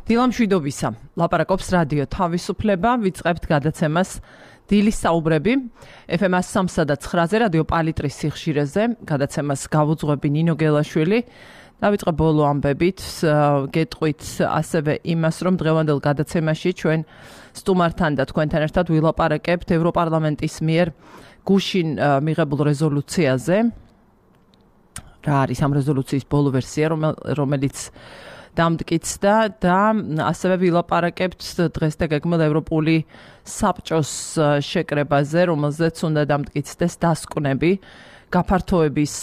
დილამშვიდობისა. ლაპარაკობს რადიო თავისუფლება, ვიწყებთ გადაცემას დილის საუბრები. FM 103.9-ზე რადიო პალიტრის სიხშირეზე. გადაცემას გავუძღვები ნინო გელაშვილი. დავიწყებ ბოლო ამბებით, გეტყვით ასევე იმას, რომ დღევანდელ გადაცემაში ჩვენ სტუმართან და თქვენთან ერთად ვილაპარაკებთ ევროპარლამენტის მიერ გუშინ მიღებულ რეზოლუციაზე. რა არის ამ რეზოლუციის ბოლო ვერსია, რომელიც დამტკიცდა და ასევე ვილაპარაკებთ დღეს და გეგმილ ევროპული საბჭოს შეკრებაზე, რომელზეც უნდა დამტკიცდეს დასკვნები გაფართოების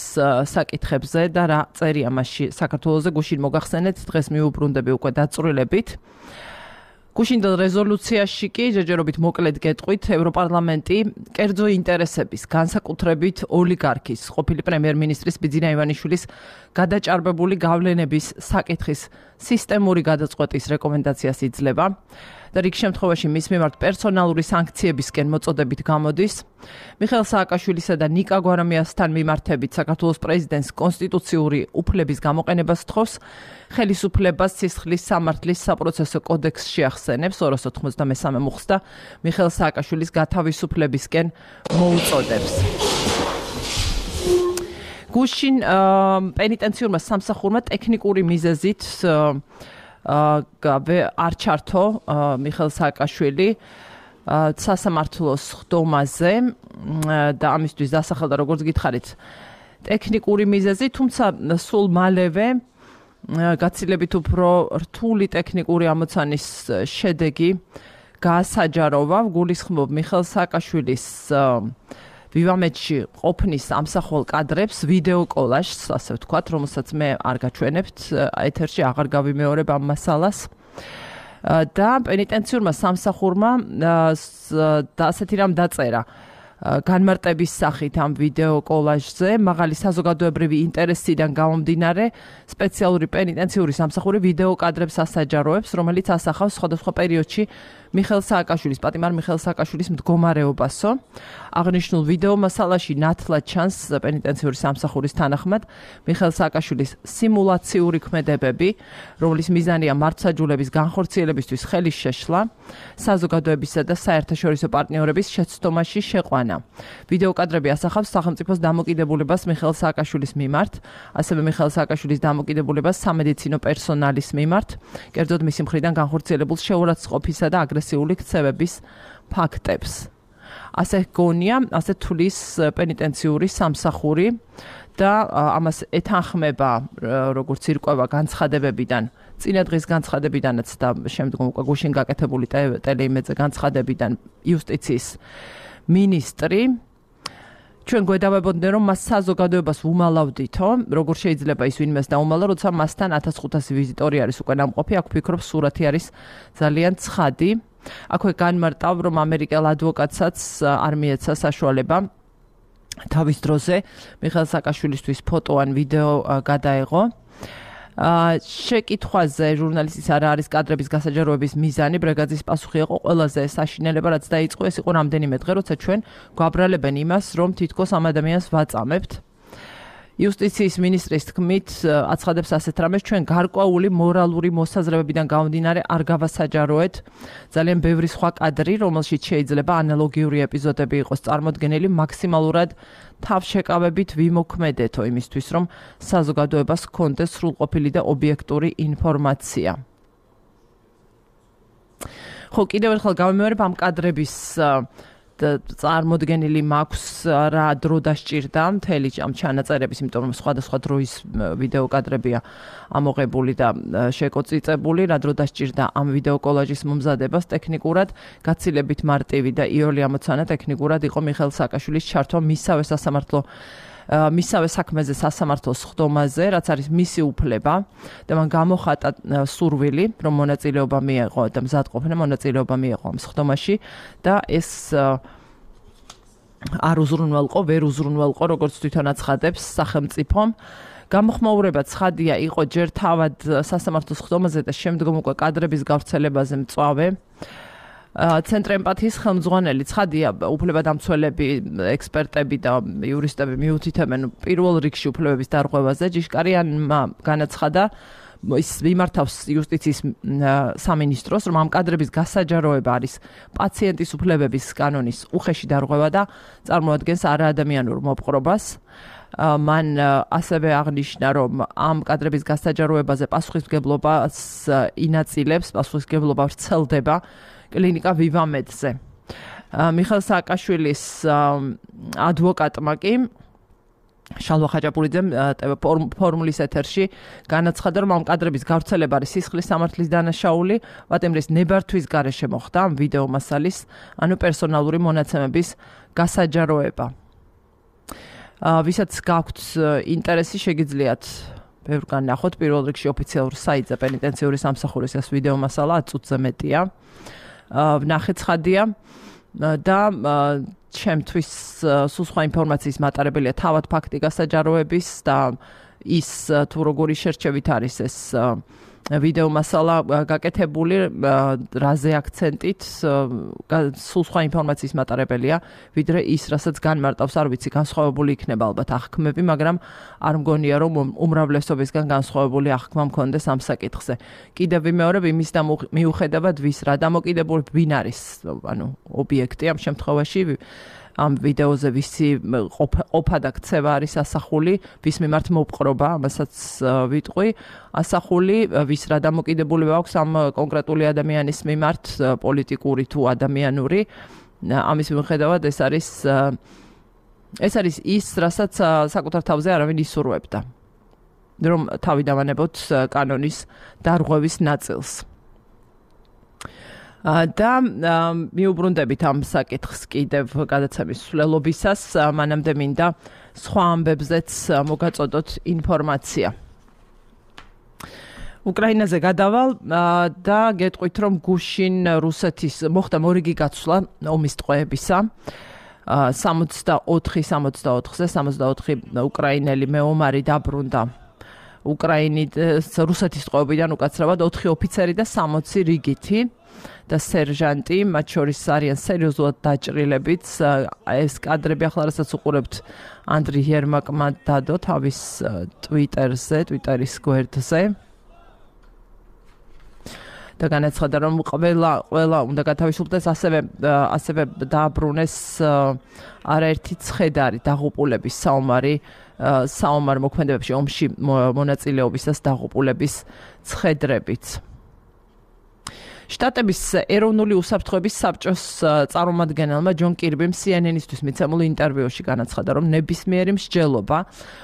საკითხებზე და რა წერია მასში საქართველოზე. გუშინ მოგახსენეთ, დღეს მივუბრუნდები უკვე დაწვრილებით. გუშინდელ რეზოლუციაში კი ჯერჯერობით მოკლედ გეტყვით, ევროპარლამენტი კერძო ინტერესების, განსაკუთრებით ოლიგარქის, ყოფილი პრემიერ-მინისტრის ბიძინა ივანიშვილის გადაჭარბებული გავლენების საკითხის სისტემური გადაწყვეტის რეკომენდაციას იძლევა და რიგ შემთხვევაში მის მიმართ პერსონალური სანქციებისკენ მოწოდებით გამოდის. მიხეილ სააკაშვილისა და ნიკა გვარამიასთან მიმართებით საქართველოს პრეზიდენტს კონსტიტუციური უფლების გამოყენებას თხოვს, ხელისუფლებას სისხლის სამართლის საპროცესო კოდექსში ახსენებს 293 მუხლს და მიხეილ სააკაშვილის გათავისუფლებისკენ მოუწოდებს. გუშინ პენიტენციურმა სამსახურმა ტექნიკური მიზეზით არ ჩართო მიხეილ სააკაშვილი სასამართლოს ხდომაზე და ამისთვის დასახელდა, როგორც გითხარით, ტექნიკური მიზეზი, თუმცა სულ მალევე გაცილებით უფრო რთული ტექნიკური ამოცანის შედეგი გაასაჯაროვა. გულისხმობ მიხეილ სააკაშვილის ვივამეთში ყოფნის ამსახველ კადრებს, ვიდეო კოლაჟს, ასე ვთქვათ, რომელსაც მე არ გაჩვენებთ ეთერში, აღარ გავიმეორებ ამ მასალას. და პენიტენციურმა სამსახურმა და ასეთი რამ დაწერა განმარტების სახით ამ ვიდეო კოლაჟზე, მაღალი საზოგადოებრივი ინტერესიდან გამომდინარე, სპეციალური პენიტენციური სამსახური ვიდეო კადრებს ასაჯაროებს, რომელიც ასახავს სხვადასხვა პერიოდში მიხეილ სააკაშვილის, პატიმარ მიხეილ სააკაშვილის მდგომარეობასო. აღნიშნულ ვიდეო მასალაში ნათლად ჩანს პენიტენციური სამსახურის თანახმად მიხეილ სააკაშვილის სიმულაციური ქმედებები, რომლის მიზანია მართლმსაჯულების განხორციელებისთვის ხელის შეშლა, საზოგადოებისა და საერთაშორისო პარტნიორების შეცდომაში შეყვანა. ვიდეო კადრები ასახავს სახელმწიფოს დამოკიდებულებას მიხეილ სააკაშვილის მიმართ, ასევე მიხეილ სააკაშვილის დამოკიდებულებას სამედიცინო პერსონალის მიმართ, კერძოდ მისი მხრიდან განხორციელებულ შეურაცხყოფისა და აგრესიული ქცევების ფაქტებს. ასე გონია, ასე თulis პენიტენციური სამსახური და ამას ეთანხმება როგორც ირკვევა განცხადებებიდან, წინა დღის განცხადებიდანაც და შემდგომ უკვე გუშინ გაკეთებული ტელეიმედზე განცხადებიდან იუსტიციის მინისტრი. ჩვენ გვედავებოდნენ, რომ მას საზოგადოებას უმალავდითო, როგორ შეიძლება ის ვინმეს დაუმალო, როცა მასთან 1500 ვიზიტორი არის უკვე ნამყოფი, აქ ვფიქრობ სურათი არის ძალიან ცხადი. აქვე განმარტავ, რომ ამერიკელ ადვოკატსაც არ მიეცა საშუალება თავის დროზე მიხეილ სააკაშვილისთვის ფოტო ან ვიდეო გადაეღო. შეკითხვაზე ჟურნალისტის არა არის კადრების გასაჯაროების მიზანი, ბრეგაძის პასუხი იყო ყველაზე საშინელება, რაც დაიწყო, ეს იყო რამდენიმე დღე, როცა ჩვენ გვაბრალებენ იმას, რომ თითქოს ამ ადამიანს ვაწამებთ. იუსტიციის მინისტრის თქმით, აცხადებს ასეთ რამეს, ჩვენ გარკვეული მორალური მოსაზრებებიდან გამომდინარე არ გავასაჯაროეთ. ძალიან ბევრი სხვა კადრი, რომელშიც შეიძლება ანალოგიური ეპიზოდები იყოს წარმოდგენილი, მაქსიმალურად თავშეკავებით ვიმოქმედეთო იმისთვის, რომ საზოგადოებას ჰქონდეს სრულყოფილი და ობიექტური ინფორმაცია. ხო, კიდევ ერთხელ გავიმეორებ ამ კადრების წარმოდგენილი მაქვს რა დრო დასჭირდა მთელი ამ ჩანაწერების, იმიტომ რომ სხვადასხვა დროის ვიდეო კადრებია ამოღებული და შეკოწიწებული, რა დრო დასჭირდა ამ ვიდეო კოლაჟის მომზადებას ტექნიკურად, გაცილებით მარტივი და იოლი ამოცანა ტექნიკურად იყო მიხეილ სააკაშვილის ჩართვა მისავე საქმეზე სასამართლოს ხდომაზე, რაც არის მისი უფლება და მან გამოხატა სურვილი, რომ მონაწილეობა მიეღო და მზადყოფნა მონაწილეობა მიეღო ამ ხდომაში და ეს არ უზრუნველყო, ვერ უზრუნველყო, როგორც თვითონ აცხადებს სახელმწიფომ. გამოხმაურება ცხადია იყო ჯერ თავად სასამართლოს ხდომაზე და შემდგომ უკვე კადრების გავრცელებაზე მწვავე. ცენტრ ემპათიის ხელმძღვანელი ცხადია, უფლებადამცველები, ექსპერტები და იურისტები მიუთითებენ პირველ რიგში უფლებების დარღვევაზე. ჯიშკარიანმა განაცხადა, ის მიმართავს იუსტიციის სამინისტროს, რომ ამ კადრების გასაჯაროება არის პაციენტის უფლებების კანონის უხეში დარღვევა და წარმოადგენს არაადამიანურ მოპყრობას. მან ასევე აღნიშნა, რომ ამ კადრების გასაჯაროებაზე პასუხისმგებლობას ინაწილებს, პასუხისმგებლობა ვრცელდება კლინიკა ვივამედზე. მიხეილ სააკაშვილის ადვოკატმა კი შალვა ხაჭაპურიძემ TV ფორმულის ეთერში განაცხადა, რომ ამ კადრების გავრცელება არის სისხლის სამართლის დანაშაული, ვატემრის ნებართვის გარეშე მოხდა ამ ვიდეო მასალის, ანუ პერსონალური მონაცემების გასაჯაროება. ვისაც გაქვთ ინტერესი, შეგიძლიათ ბევრგან ნახოთ პირველ რიგში ოფიციალურ საიტზე პენიტენციური სამსახურის ეს ვიდეო მასალა 10 წუთზე მეტია. ნახეთ ცხადია და ჩემთვის სულ სხვა ინფორმაციის მატარებელია თავად ფაქტი გასაჯაროების და ის თუ როგორი შერჩევით არის ეს ვიდეო მასალა გაკეთებული, რაზე აქცენტით, სულ სხვა ინფორმაციის მატარებელია, ვიდრე ის, რასაც განმარტავს, არ ვიცი, განსხვავებული იქნება ალბათ აღქმები, მაგრამ არ მგონია, რომ უმრავლესობისგან განსხვავებული აღქმა მქონდეს ამ საკითხზე. კიდევ ვიმეორებ იმის და მიუხედავად ვის რა დამოკიდებული ვინ არის, ანუ ობიექტი ამ შემთხვევაში ამ ვიდეოზე ვისი ყოფა და ქცევა არის ასახული, ვის მიმართ მოპყრობა, ამასაც ვიტყვი, ასახული, ვის რა დამოკიდებულება აქვს ამ კონკრეტული ადამიანის მიმართ, პოლიტიკური თუ ადამიანური, ამის მიუხედავად ეს არის ის, რასაც საკუთარ თავზე არავინ ისურვებდა, რომ თავი დავანებოთ კანონის დარღვევის ნაწილს. და მიუბრუნდებით ამ საკითხს კიდევ გადაცემის სვლელობისას, მანამდე მინდა სხვა ამბებზეც მოგაწოდოთ ინფორმაცია. უკრაინაზე გადავალ და გეტყვით, რომ გუშინ რუსეთის მოხდა მორიგი გაცვლა ომის ტყვეებისა. 64 უკრაინელი მეომარი დაბრუნდა რუსეთის ტყვეობიდან უკაცრავად 4 ოფიცერი და 60 რიგითი და სერჟანტი, მათ შორის არიან სერიოზულად დაჭრილებიც. ეს კადრები ახლა რასაც უყურებთ ანდრი ჰერმაკმა დადო თავის ტვიტერის გვერდზე. და განაცხადა, რომ ყველა უნდა გათავისუფლდეს, ასევე დააბრუნეს არაერთი ცხედარი დაღუპულების საომარ მოქმედებებში ომში მონაწილეობისას დაღუპულების ცხედრებით. შტატების ეროვნული უსაფრთხოების საბჭოს წარმომადგენელმა ჯონ კირბიმ CNN-ისთვის მიცემულ ინტერვიუში განაცხადა, რომ ნებისმიერი მსჯელობა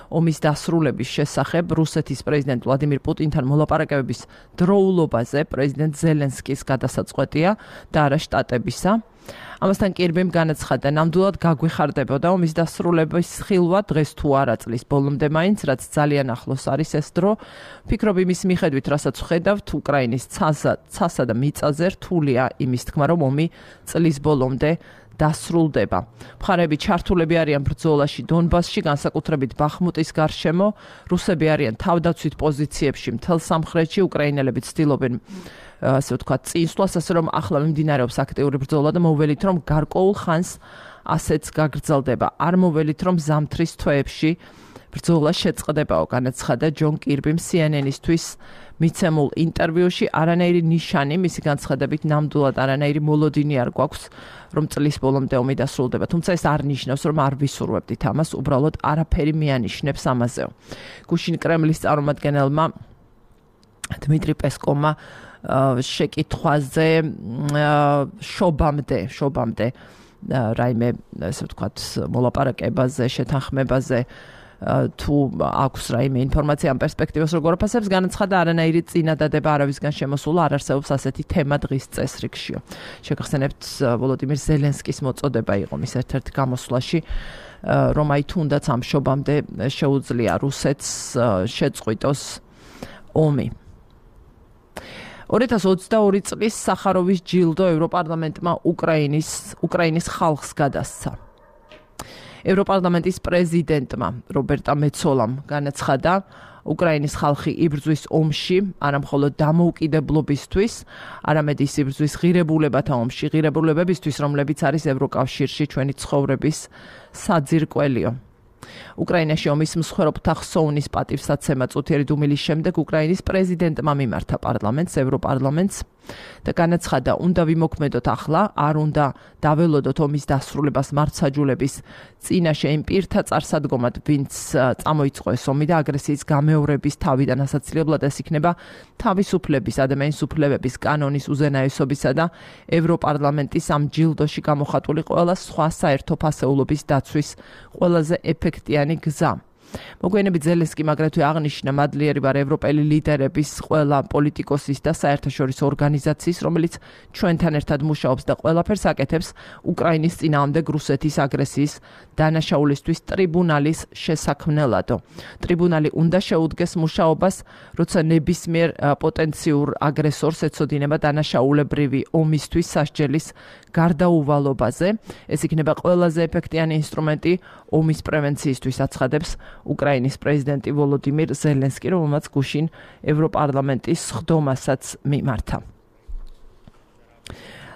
ომის დასრულების შესახებ რუსეთის პრეზიდენტ ვლადიმირ პუტინთან მოლაპარაკებების დროულობაზე პრეზიდენტ ზელენსკის გადასაწყვეტია და არა შტატებისა. ამასთან კირბიმ განაცხადა, ნამდვილად გაგვეხარდებოდა ომის დასრულების ხილვა დღეს თუ არა წლის ბოლომდე მაინც, რაც ძალიან ახლოს არის ეს დრო. ფიქრობ იმის მიხედვით, რასაც ვხედავთ, უკრაინის ცასა და მიწაზე რთულია იმის თქმა, რომ ომი წლის ბოლომდე დასრულდება. მხარეები ჩართულები არიან ბრძოლაში დონბასში, განსაკუთრებით ბახმუტის გარშემო. რუსები არიან თავდაცვით პოზიციებში მთელ სამხრეთში, უკრაინელები ცდილობენ ასე ვთქვათ, წინსვლას, ასე რომ ახლა მიმდინარეობს აქტიური ბრძოლა და მოველით, რომ გარკვეულ ხანს ასეც გაგრძელდება. არ მოველით, რომ ზამთრის თვეებში ბრძოლა შეწყდებაო, განაცხადა ჯონ კირბიმ CNN-ისთვის მიცემულ ინტერვიუში. არანაირი ნიშანი, მისი განცხადებით, ნამდვილად არანაირი მოლოდინი არ გვაქვს, რომ წლის ბოლომდე ომი დასრულდება. თუმცა ეს არ ნიშნავს, რომ არ ვისურვებდით ამას, უბრალოდ არაფერი მიანიშნებს ამაზეო. გუშინ კრემლის წარმომადგენელმა დმიტრი პესკოვმა შეკითხვაზე შობამდე რაიმე, ასე ვთქვათ, მოლაპარაკებაზე, შეთანხმებაზე თუ აქვს რაიმე ინფორმაცია ამ პერსპექტივას როგორ აფასებს, განაცხადა, არანაირი წინადადება არავისგან შემოსულა არ არსებობს ასეთი თემა დღის წესრიგშიო. შეგახსენებთ, ვოლოდიმირ ზელენსკის მოწოდება იყო მის ერთ-ერთ გამოსვლაში, რომ აი თუნდაც ამ შობამდე შეუძლია რუსეთს შეწყვიტოს ომი. 2022 წლის სახაროვის ჯილდო ევროპარლამენტმა უკრაინის ხალხს გადასცა. ევროპარლამენტის პრეზიდენტმა რობერტა მეცოლამ განაცხადა, უკრაინის ხალხი იბრძვის ომში, არა მხოლოდ დამოუკიდებლობისთვის, არამედ ის იბრძვის ღირებულებათა ომში, ღირებულებებისთვის, რომლებიც არის ევროკავშირში ჩვენი ცხოვრების საძირკველიო. უკრაინაში ომის მსხვერპლთა ხსოვნის პატივსაცემა წუთიერი დუმილის შემდეგ უკრაინის პრეზიდენტმა მიმართა პარლამენტს, ევროპარლამენტს და განაცხადა, უნდა ვიმოქმედოთ ახლა, არ უნდა დაველოდოთ ომის დასრულებას მართლმსაჯულების წინაშე იმ პირთა წარსადგომად, ვინც წამოიწყო ეს ომი და აგრესიის გამეორების თავიდან ასაცილებლად ეს იქნება თავისუფლების, ადამიანის უფლებების კანონის უზენაესობისა და ევროპარლამენტის ამ ჯილდოში გამოხატული ყველა სხვა საერთო ფასეულობის დაცვის ყველაზე ეფექტიანი გზა. მოგვიანებით ზელენსკიმ აგრეთვე აღნიშნა მადლიერი ვარ ევროპელი ლიდერების, ყველა პოლიტიკოსის და საერთაშორისო ორგანიზაციის, რომელიც ჩვენთან ერთად მუშაობს და ყველაფერს აკეთებს უკრაინის წინააღმდეგ რუსეთის აგრესიის დანაშაულისთვის ტრიბუნალის შესაქმნელადო. ტრიბუნალი უნდა შეუდგეს მუშაობას, როცა ნებისმიერ პოტენციურ აგრესორს ეცოდინება დანაშაულებრივი ომისთვის სასჯელის გარდაუვალობაზე. ეს იქნება ყველაზე ეფექტიანი ინსტრუმენტი ომის პრევენციისთვის, აცხადებს უკრაინის პრეზიდენტი ვოლოდიმირ ზელენსკი, რომელმაც გუშინ ევროპარლამენტის სხდომასაც მიმართა.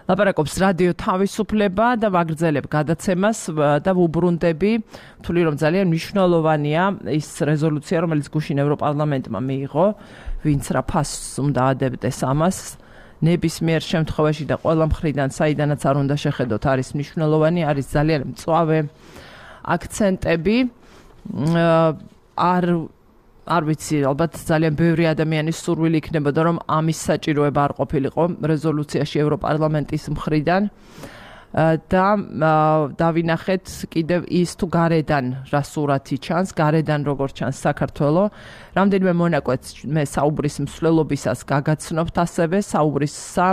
ლაპარაკობს რადიო თავისუფლება და ვაგრძელებ გადაცემას და ვუბრუნდები, თვლი რომ ძალიან მნიშვნელოვანია ის რეზოლუცია, რომელიც გუშინ ევროპარლამენტმა მიიღო, ვინც რა ფასს უნდა ადებდეს ამას. ნებისმიერ შემთხვევაში და ყველა მხრიდან, საიდანაც არ უნდა შეხედოთ, არის მნიშვნელოვანი, არის ძალიან მწვავე აქცენტები. არ ვიცი, ალბათ ძალიან ბევრი ადამიანის სურვილი იქნებოდა, რომ ამის საჭიროება არ ყოფილიყო რეზოლუციაში ევროპარლამენტის მხრიდან და დავინახეთ კიდევ ის თუ გარედან რა სურათი ჩანს, გარედან როგორ ჩანს საქართველო. რამდენიმე მონაკვეთს მე საუბრის მსვლელობისას გაგაცნობთ ასევე საუბრისა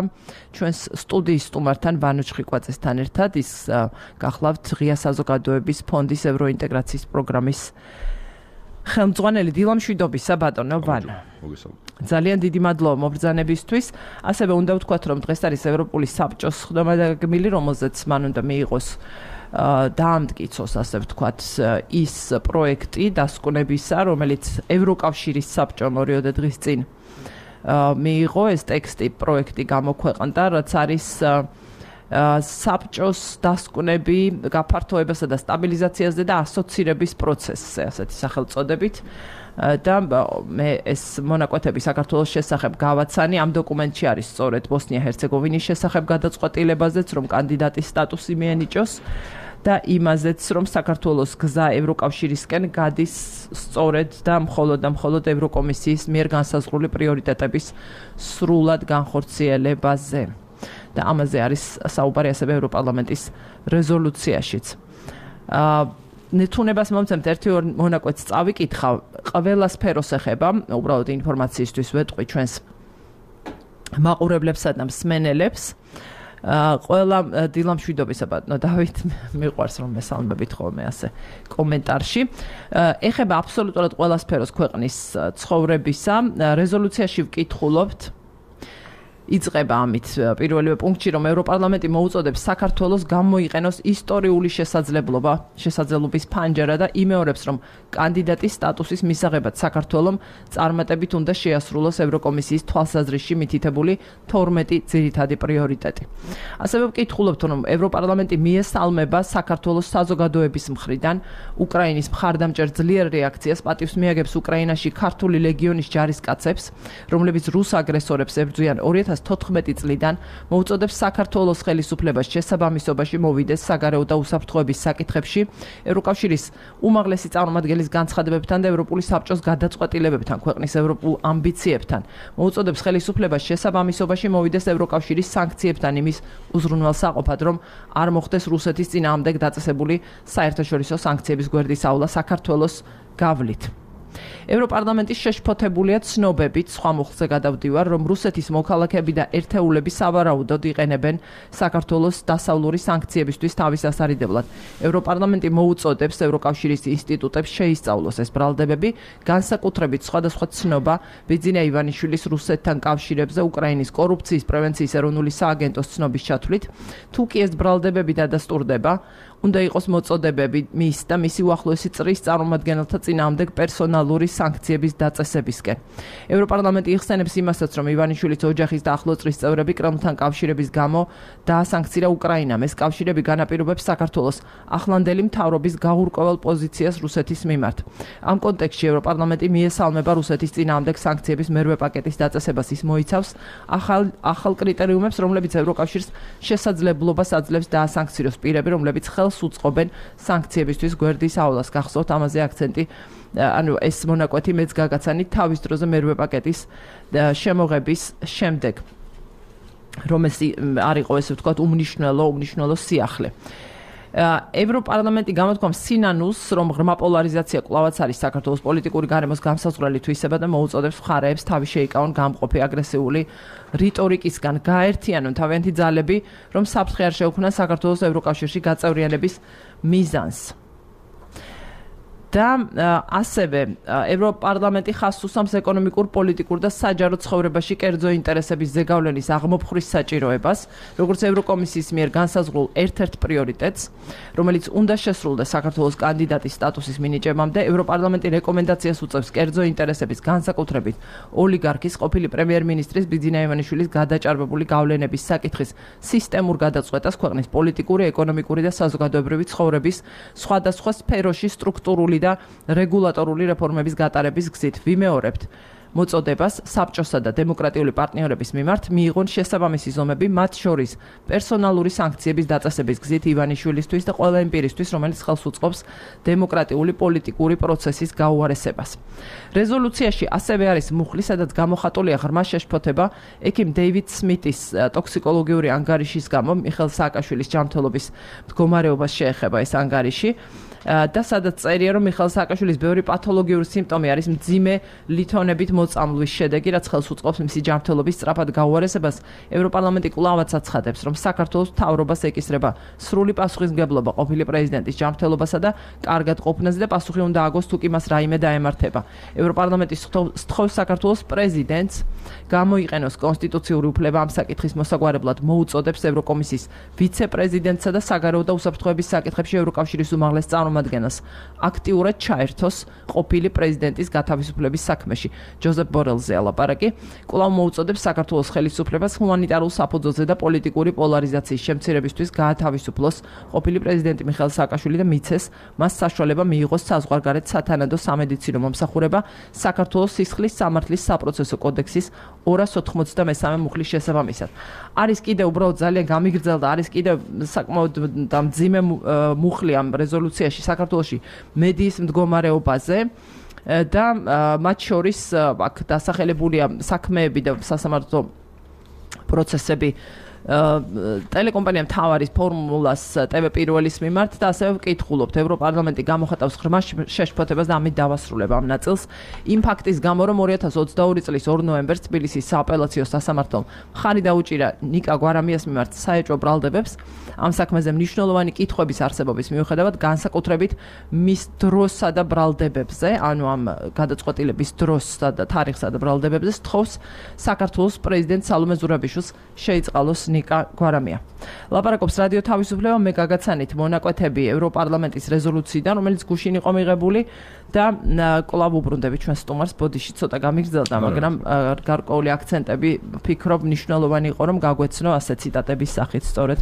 ჩვენს სტუდიის სტუმართან ვანო ჩხიკვაძესთან ერთად, ის გახლავთ ღია საზოგადოების ფონდის ევროინტეგრაციის პროგრამის ხელმძღვანელი. დილამშვიდობისა ბატონო ვანო. ძალიან დიდი მადლობა მობრძანებისთვის. ასევე უნდა ვთქვათ, რომ დღეს არის ევროპული საბჭოს სხდომა დაგმილი, რომელზეც მან უნდა მიიღოს დაამტკიცოს, ასე ვთქვათ, ის პროექტი დასკვნებისა, რომელიც ევროკავშირის საბჭომ 2 დღის წინ მიიღო. ეს ტექსტი პროექტი გამოქვეყნდა, რაც არის საბჭოს დასკვნები გაფართოებასა და სტაბილიზაციაზე და ასოცირების პროცესზე, ასეთი სახელწოდებით. და მე ეს მონაკვეთები საქართველოს შესახებ გავაცანი, ამ დოკუმენტში არის სწორედ ბოსნია-ჰერცეგოვინის შესახებ გადაწყვეტილებაზეც, რომ კანდიდატის სტატუსი მიენიჭოს და იმაზეც, რომ საქართველოს გზა ევროკავშირისკენ გადის სწორედ და მხოლოდ ევროკომისიის მიერ განსაზღვრული პრიორიტეტების სრულად განხორციელებაზე. და ამაზე არის საუბარი ასევე ევროპარლამენტის რეზოლუციაშიც. ნეთუნებას მომცემთ ერთი-ორ მონაკვეთს წავიკითხავ, ყველა სფეროს ეხება, უბრალოდ ინფორმაციისთვის ვეტყვი ჩვენს მაყურებლებსა და მსმენელებს. ყველა დილამშვიდობისა ბატონო დავით, მიყვარს რომ მესალმებით ხოლმე ასე კომენტარში. ეხება აბსოლუტურად ყველა სფეროს ქვეყნის ცხოვრებისა. რეზოლუციაში ვკითხულობთ იწყება ამით პირველივე პუნქტში, რომ ევროპარლამენტი მოუწოდებს საქართველოს გამოიყენოს ისტორიული შესაძლებლობის ფანჯარა და იმეორებს, რომ კანდიდატის სტატუსის მისაღებად საქართველომ წარმატებით უნდა შეასრულოს ევროკომისიის თვალსაზრისში მითითებული 12 ძირითადი პრიორიტეტი. ასევე ვკითხულობთ, რომ ევროპარლამენტი მიესალმება საქართველოს საზოგადოების მხრიდან უკრაინის მხარდამჭერ ძლიერ რეაქციას, პატივს მიაგებს უკრაინაში ქართული ლეგიონის ჯარისკაცებს, რომლებიც რუს აგრესორებს ებრძვიან 2014 წლიდან, მოუწოდებს საქართველოს ხელისუფლებას შესაბამისობაში მოვიდეს საგარეო და უსაფრთხოების საკითხებში ევროკავშირის უმაღლესი წარმომადგენლის განცხადებებთან და ევროპული საბჭოს გადაწყვეტილებებთან, ქვეყნის ევროპულ ამბიციებთან. მოუწოდებს ხელისუფლებას შესაბამისობაში მოვიდეს ევროკავშირის სანქციებთან იმის უზრუნველსაყოფად, რომ არ მოხდეს რუსეთის წინააღმდეგ დაწესებული საერთაშორისო სანქციების გვერდის ავლა საქართველოს გავლით. ევროპარლამენტის შეშფოთებულია ცნობებით, სხვა მოხლზე გადავდივარ, რომ რუსეთის მოქალაქეები და ერთეულები სავარაუდოდ იყენებენ საქართველოს დასავლური სანქციებისთვის თავის ასარიდებლად. ევროპარლამენტი მოუწოდებს ევროკავშირის ინსტიტუტებს შეისწავლოს ეს ბრალდებები, განსაკუთრებით სხვადასხვა ცნობა ბიძინა ივანიშვილის რუსეთთან კავშირებზე უკრაინის კორუფციის პრევენციის ეროვნული სააგენტოს ცნობის ჩათვლით. თუ კი ეს ბრალდებები დადასტურდება, უნდა იყოს მოწოდებები მის და მისი უახლოესი წრის წარმომადგენელთა წინააღმდეგ პერსონალური სანქციების დაწესებისკენ. ევროპარლამენტი იხსენებს იმასაც, რომ ივანიშვილის ოჯახის და ახლო წრის წევრები კრემლთან კავშირების გამო დაასანქცირა უკრაინამ. ეს კავშირები განაპირობებს საქართველოს ახლანდელი მთავრობის გაურკვეველ პოზიციას რუსეთის მიმართ. ამ კონტექსტში ევროპარლამენტი მიესალმება რუსეთის წინააღმდეგ სანქციების მერვე პაკეტის დაწესებას. ის მოიცავს ახალ კრიტერიუმებს, რომლებიც ევროკავშირს შესაძლებლობას აძლევს დაასანქციროს პირები, რომლებიც ხელს უწყობენ სანქციებისთვის გვერდის აავლას. გახსოვთ ამაზე აქცენტი, ანუ ეს მონაკვეთი მეც გაგაცანით თავის დროზე მერვე პაკეტის შემოღების შემდეგ, რომ ეს არ იყო ესე ვთქვათ უმნიშვნელო სიახლე. ევროპარლამენტი გამოთქვამს სინანულს, რომ ღრმა პოლარიზაცია კვლავაც არის საქართველოს პოლიტიკური გარემოს განსაზღვრელი თვისება და მოუწოდებს მხარეებს თავი შეიკავონ გამყოფი აგრესიული რიტორიკისგან, გაერთიანონ თავიანთი ძალები, რომ საფრთხე არ შეუქმნას საქართველოს ევროკავშირში გაწევრიანების მიზანს. და ასევე ევროპარლამენტი ხაზს უსვამს ეკონომიკურ, პოლიტიკურ და საჯარო ცხოვრებაში კერძო ინტერესების ზეგავლენის აღმოფხვრის საჭიროებას, როგორც ევროკომისიის მიერ განსაზღვრულ ერთ-ერთ პრიორიტეტს, რომელიც უნდა შესრულდეს საქართველოს კანდიდატის სტატუსის მინიჭებამდე. ევროპარლამენტი რეკომენდაციას უწევს კერძო ინტერესების განსაკუთრებით ოლიგარქის ყოფილი პრემიერ-მინისტრის ბიძინა ივანიშვილის გადაჭარბებული გავლენების საკითხის სისტემურ გადაწყვეტას ქვეყნის პოლიტიკური, ეკონომიკური და საზოგადოებრივი ცხოვრების სხვადასხვა სფეროში სტრუქტურული და რეგულატორული რეფორმების გატარების გზით. ვიმეორებთ მოწოდებას საბჭოსა და დემოკრატიული პარტნიორების მიმართ მიიღონ შესაბამისი ზომები, მათ შორის პერსონალური სანქციების დაწესების გზით ივანიშვილისთვის და ყველა იმ პირისთვის, რომელიც ხელს უწყობს დემოკრატიული პოლიტიკური პროცესის გაუარესებას. რეზოლუციაში ასევე არის მუხლი, სადაც გამოხატულია ღრმა შეშფოთება ექიმ დეივიდ სმითის ტოქსიკოლოგიური ანგარიშის გამო. მიხეილ სააკაშვილის ჯანმრთელობის მდგომარეობას შეეხება ეს ანგარიში. და სადაც წერია, რომ მიხეილ სააკაშვილის ბევრი პათოლოგიური სიმპტომი არის მძიმე ლითონებით მოწამვლის შედეგი, რაც ხელს უწყობს მისი ჯანმრთელობის სწრაფად გაუარესებას. ევროპარლამენტი კვლავაც აცხადებს, რომ საქართველოს მთავრობას ეკისრება სრული პასუხისმგებლობა ყოფილი პრეზიდენტის ჯანმრთელობასა და კარგად ყოფნაზე და პასუხი უნდა აგოს თუ კი მას რაიმე დაემართება. ევროპარლამენტი სთხოვს საქართველოს პრეზიდენტს გამოიყენოს კონსტიტუციური უფლება ამ საკითხის მოსაგვარებლად, მოუწოდებს ევროკომისიის ვიცე-პრეზიდენტსა და საგარეო და უსაფრთხოების საკითხებში ევროკავშირის უმაღლეს წარმომადგენელს აქტიურად ჩაერთოს ყოფილი პრეზიდენტის გათავისუფლების საქმეში. ჯოზეფ ბორელზე ალაპარაკი კვლავ მოუწოდებს საქართველოს ხელისუფლებას ჰუმანიტარულ საფუძველზე და პოლიტიკური პოლარიზაციის შემცირებისთვის გაათავისუფლოს ყოფილი პრეზიდენტი მიხეილ სააკაშვილი და მიცეს მას საშუალება მიიღოს საზღვარგარეთ სათანადო სამედიცინო მომსახურება საქართველოს სისხლის სამართლის საპროცესო კოდექსის 293 მუხლის შესაბამისად. არის კიდევ უბრალოდ ძალიან გამიგრძელდა, არის კიდევ საკმაოდ მძიმე მუხლი ამ რეზოლუციაში საქართველოში მედიის მდგომარეობაზე და მათ შორის აქ დასახელებულია საქმეები და სასამართლო პროცესები ტელეკომპანია მთავარის ფორმულას TV პირველის მიმართ და ასევე ვკითხულობთ ევროპარლამენტი გამოხატავს ღრმა შეშფოთებას და ამით დავასრულებ ამ ნაწილს იმ ფაქტის გამო რომ 2022 წლის 2 ნოემბერს თბილისის სააპელაციო სასამართლომ მხარი დაუჭირა ნიკა გვარამიას მიმართ საეჭვო ბრალდებებს ამ საქმეზე მნიშვნელოვანი კითხვების არსებობის მიუხედავად განსაკუთრებით მის დროსა და ბრალდებებზე ანუ ამ გადაწყვეტილების დროსსა და თარიღსა და ბრალდებებზე სთხოვს საქართველოს პრეზიდენტ სალომე ზურაბიშვილს შეიწყალოს ნიკა გვარამია. ლაპარაკობს რადიო თავისუფლება, მე გაგაცანით მონაკვეთები ევროპარლამენტის რეზოლუციიდან, რომელიც გუშინ იყო მიღებული და კვლავ უბრუნდები ჩვენ სტუმარს ბოდიში ცოტა გამიგრძელდა, მაგრამ გარკვეული აქცენტები ვფიქრობ მნიშვნელოვანი იყო რომ გაგვეცნო ასე ციტატების სახით სწორედ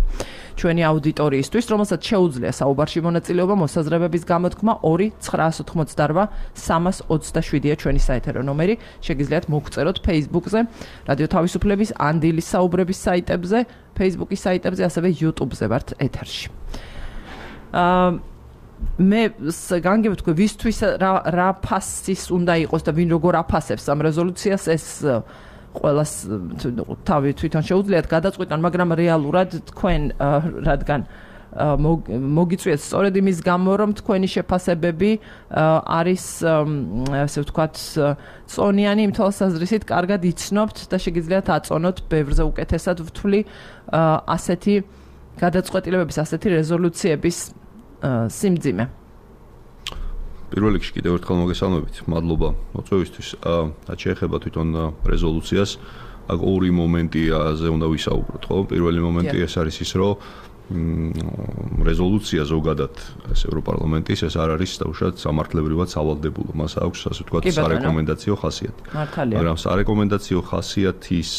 ჩვენი აუდიტორიისთვის, რომელსაც შეუძლია საუბარში მონაწილეობა, მოსაზრებების გამოთქმა 2-988 327-ია ჩვენი საეთერო ნომერი. შეგიძლიათ მოგწეროთ Facebook-ზე, რადიო თავისუფლების ანდილის საუბრების საიტებზე, Facebook-ის საიტებზე, ასევე YouTube-ზე ვართ ეთერში. მე განგებთ თქვენ ვისთვის რა ფასის უნდა იყოს და ვინ როგორ აფასებს ამ რეზოლუციას ეს ყველას თავი თვითონ შეუძლიათ გადაწყვეტონ, მაგრამ რეალურად თქვენ რადგან მოგიწვიეთ სწორედ იმის გამო, რომ თქვენი შეფასებები არის ასე ვთქვათ წონიანი იმ თვალსაზრისით, კარგად იცნობთ და შეგიძლიათ აწონოთ ბევრზე უკეთესად ვთვლი ასეთი გადაწყვეტილებების, ასეთი რეზოლუციების სიმძიმე. პირველ რიგში კიდევ ერთხელ მოგესალმებით. მადლობა მოწვევისთვის. რაც შეეხება თვითონ რეზოლუციას, აქ ორი მომენტიაზე უნდა ვისაუბროთ, ხო? პირველი მომენტი ეს არის ის, რომ რეზოლუცია ზოგადად ეს ევროპარლამენტის ეს არ არის დაუშვათ სამართლებრივად სავალდებულო. მას აქვს ასე ვთქვათ სარეკომენდაციო ხასიათი. მაგრამ სარეკომენდაციო ხასიათის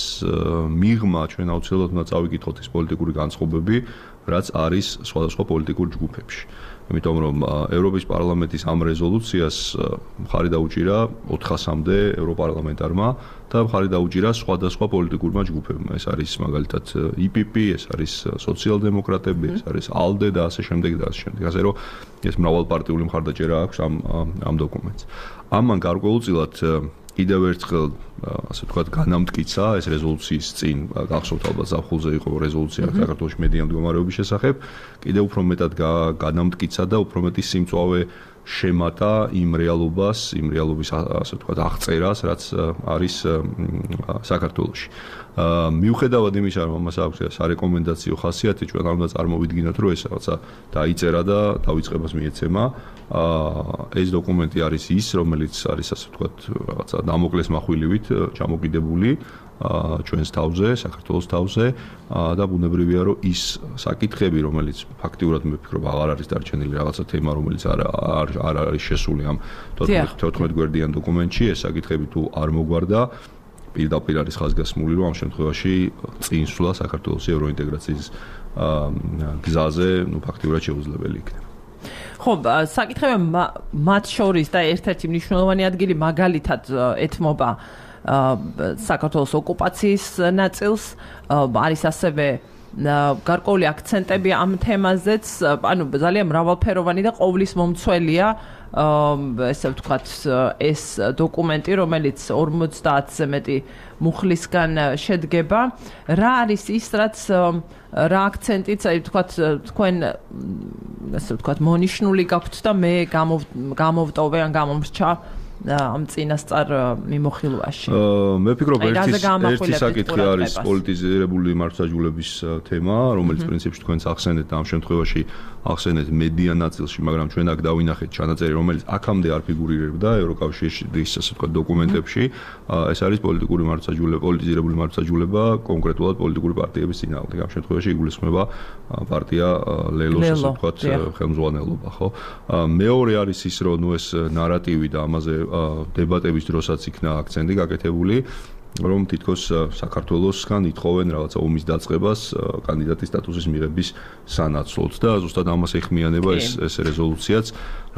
მიღმა ჩვენ აუცილებლად უნდა წავიკითხოთ ის პოლიტიკური განწყობები, რაც არის სხვადასხვა პოლიტიკურ ჯგუფებში. იმიტომ რომ ევროპის პარლამენტის ამ რეზოლუციას მხარი დაუჭირა 400-მდე ევროპარლამენტარმა და მხარი დაუჭირა სხვადასხვა პოლიტიკურმა ჯგუფებმა. ეს არის მაგალითად IPP, ეს არის სოციალ-დემოკრატები, ეს არის ALDE და ასე შემდეგ და ასე შემდეგ. ასე რომ ეს მრავალპარტიული მხარდაჭერა აქვს ამ დოკუმენტს. ამან გარკვეულწილად კიდევ ერთხელ ასე ვთქვათ განამტკიცა ეს რეზოლუციის წინ გახსოვთ ალბათ ზაფხულზე იყო რეზოლუცია საქართველოს მედია მდგომარეობის შესახებ კიდევ უფრო მეტად განამტკიცა და უფრო მეტი სიმწვავე შემატა იმ რეალობის ასე ვთქვათ აღწერას რაც არის საქართველოში მიუხედავად იმისა რომ ამას აქვს სარეკომენდაციო ხასიათი ჩვენ არ უნდა წარმოვიდგინოთ რომ ეს რაღაცა დაიწერა და დავიწყებას მიეცემა ეს დოკუმენტი არის ის რომელიც არის ასე ვთქვათ რაღაცა დამოკლეს מחვილივით ჩამოკიდებული ჩვენს თავზე, საქართველოს თავზე და ბუნებრივია რომ ის საკითხები რომელიც ფაქტიურად მე ვფიქრობ აღარ არის დარჩენილი რაღაცა თემა რომელიც არ არის შესული ამ 14 გვერდიან დოკუმენტში ეს საკითხები თუ არ მოგვარდა პირდაპირ არის ხაზგასმული რომ ამ შემთხვევაში წინსვლა საქართველოს ევროინტეგრაციის გზაზე ნუ ფაქტიურად შეუძლებელი იქნება ხო, საკითხები მათ შორის და ერთ-ერთი მნიშვნელოვანი ადგილი მაგალითად ეთმობა საქართველოს ოკუპაციის ნაწილს არის ასევე გარკვეული აქცენტები ამ თემაზეც, ანუ ძალიან მრავალფეროვანი და ყოვლის მომცველია ესე ვთქვათ ეს დოკუმენტი, რომელიც 50-ზე მეტი მუხლისგან შედგება. რა არის ის, რაც რა აქცენტიც, აი ვთქვათ, თქვენ ესე ვთქვათ მონიშნული გაქვთ და მე გამოვტოვე ან გამომრჩა ამ წინასწარ მიმოხილვაში. მე ვფიქრობ ერთი საკითხი არის პოლიტიზირებული მართლმსაჯულების თემა, რომელიც პრინციპში თქვენც ახსენეთ და ამ შემთხვევაში ახსენეთ მედია ნაწილში, მაგრამ ჩვენ აქ დავინახეთ ჩანაწერი, რომელიც აქამდე არ ფიგურირებდა ევროკავშირის ასე ვთქვათ დოკუმენტებში. ეს არის პოლიტიზირებული მართლმსაჯულება კონკრეტულად პოლიტიკური პარტიების წინააღმდეგ. ამ შემთხვევაში იგულისხმება პარტია ლელოს ასე ვთქვათ ხელმძღვანელობა, ხო? მეორე არის ის, რომ ნუ ეს ნარატივი და ამაზე დებატების დროსაც იქნა აქცენტი გაკეთებული, რომ თითქოს საქართველოსგან ითხოვენ რაღაცა ომის დაწყებას კანდიდატის სტატუსის მიღების სანაცვლოდ და ზუსტად ამას ეხმიანება ეს რეზოლუციაც,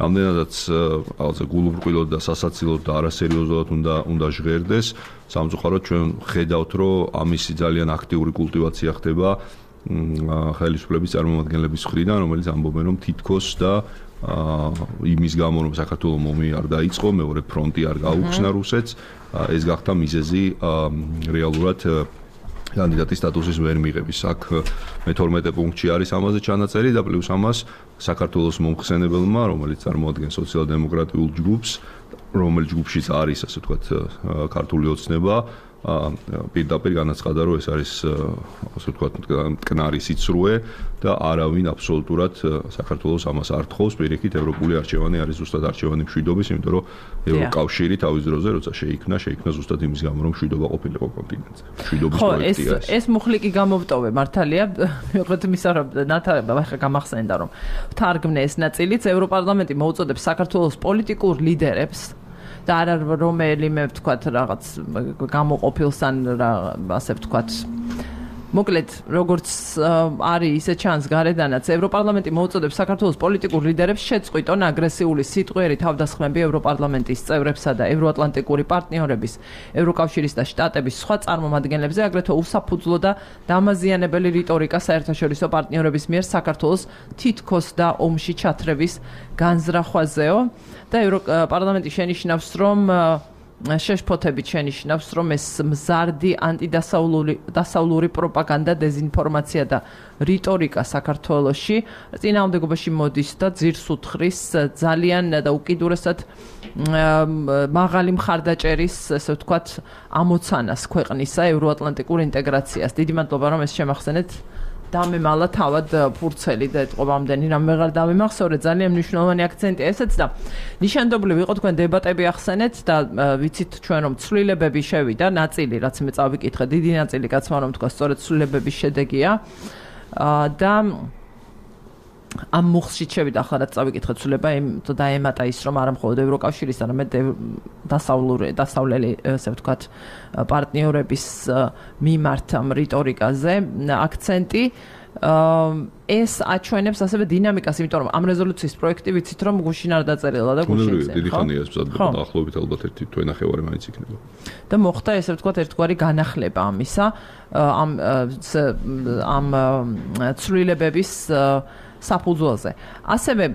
რამდენადაც რაღაცა გულუბრყვილოდ და სასაცილოდ და არასერიოზულად უნდა ჟღერდეს, სამწუხაროდ ჩვენ ხედავთ, რომ ამისი ძალიან აქტიური კულტივაცია ხდება ხელისუფლების წარმომადგენლების მხრიდან, რომელიც ამბობენ, რომ თითქოს და იმის გამო რომ საქართველოს ომი არ დაიწყო, მეორე ფრონტი არ გაუხსნა რუსეთს, ეს გახდა მიზეზი რეალურად კანდიდატის სტატუსის ვერ მიღების. აქ მე-12 პუნქტში არის ამაზე ჩანაწერი და პლუს ამას საქართველოს მომხსენებელმა, რომელიც წარმოადგენს სოციალ-დემოკრატიულ ჯგუფს, რომელიც ჯგუფშიც არის ასე ვთქვათ ქართული ოცნება, პირდაპირ განაცხადა, რომ ეს არის ასე ვთქვათ მტკნარი სიცრუე და არავინ აბსოლუტურად საქართველოს ამას არ თხოვს, პირიქით ევროპული არჩევანი არის ზუსტად არჩევანი მშვიდობის, იმიტომ რომ ევროკავშირი თავის დროზე როცა შეიქმნა ზუსტად იმის გამო, რომ მშვიდობა ყოფილიყო კონტინენტზე. მშვიდობის პროექტია ეს. ეს მუხლი კი გამოვტოვე მართალია, მიუხედავად იმისა, რომ ნათარება ახლა გამახსენდა, რომ თარგმნე ეს ნაწილიც ევროპარლამენტი მოუწოდებს საქართველოს პოლიტიკურ ლიდერებს და არა რომელიმე ვთქვათ რაღაც გამოყოფილს ან ასე ვთქვათ მოკლედ როგორც არის ისე ჩანს გარედანაც ევროპარლამენტი მოუწოდებს საქართველოს პოლიტიკურ ლიდერებს შეწყვიტონ აგრესიული სიტყვიერი თავდასხმები ევროპარლამენტის წევრებსა და ევროატლანტიკური პარტნიორების ევროკავშირის და შტატების სხვა წარმომადგენლებზე აგრეთვე უსაფუძვლო და დამაზიანებელი რიტორიკა საერთაშორისო პარტნიორების მიერ საქართველოს თითქოს და ომში ჩათრევის განზრახვაზეო და ევროპარლამენტი შენიშნავს რომ შეშფოთებით შენიშნავს, რომ ეს მზარდი ანტიდასავლური პროპაგანდა, დეზინფორმაცია და რიტორიკა საქართველოში წინააღმდეგობაში მოდის და ძირს უთხრის ძალიან და უკიდურესად მაღალი მხარდაჭერის, ესე ვთქვათ, ამოცანას ქვეყნისა ევროატლანტიკურ ინტეგრაციას. დიდი მადლობა, რომ ეს შემახსენეთ. დამემალა თავად ფურცელი და ეთყობა ამდენი რამ ვეღარ დავიმახსოვრე ძალიან მნიშვნელოვანი აქცენტია ესეც და ნიშანდობლივ იყო თქვენ დებატები ახსენეთ და ვიცით ჩვენ რომ ცვლილებები შევიდა ნაწილი რაც მე წავიკითხე დიდი ნაწილი კაცმა რომ თქვა სწორედ ცვლილებების შედეგია და ამ მუხლში შევიდა ახლა რაც წავიკითხეთ ცვლილება იმ დაემატა ის რომ არა მხოლოდ ევროკავშირის არამედ დასავლელი ესე ვთქვათ პარტნიორების მიმართ ამ რიტორიკაზე აქცენტი ეს აჩვენებს ასევე დინამიკას, იმიტომ რომ ამ რეზოლუციის პროექტი ვიცით რომ გუშინ არ დაწერილა და გუშინ დიდი ხანია მზადდება, დაახლოებით ალბათ 1.5 მაინც იქნება. და მოხდა ესე ვთქვათ ერთგვარი განახლება ამისა, ამ ცვლილებების საფუძველზე. ასევე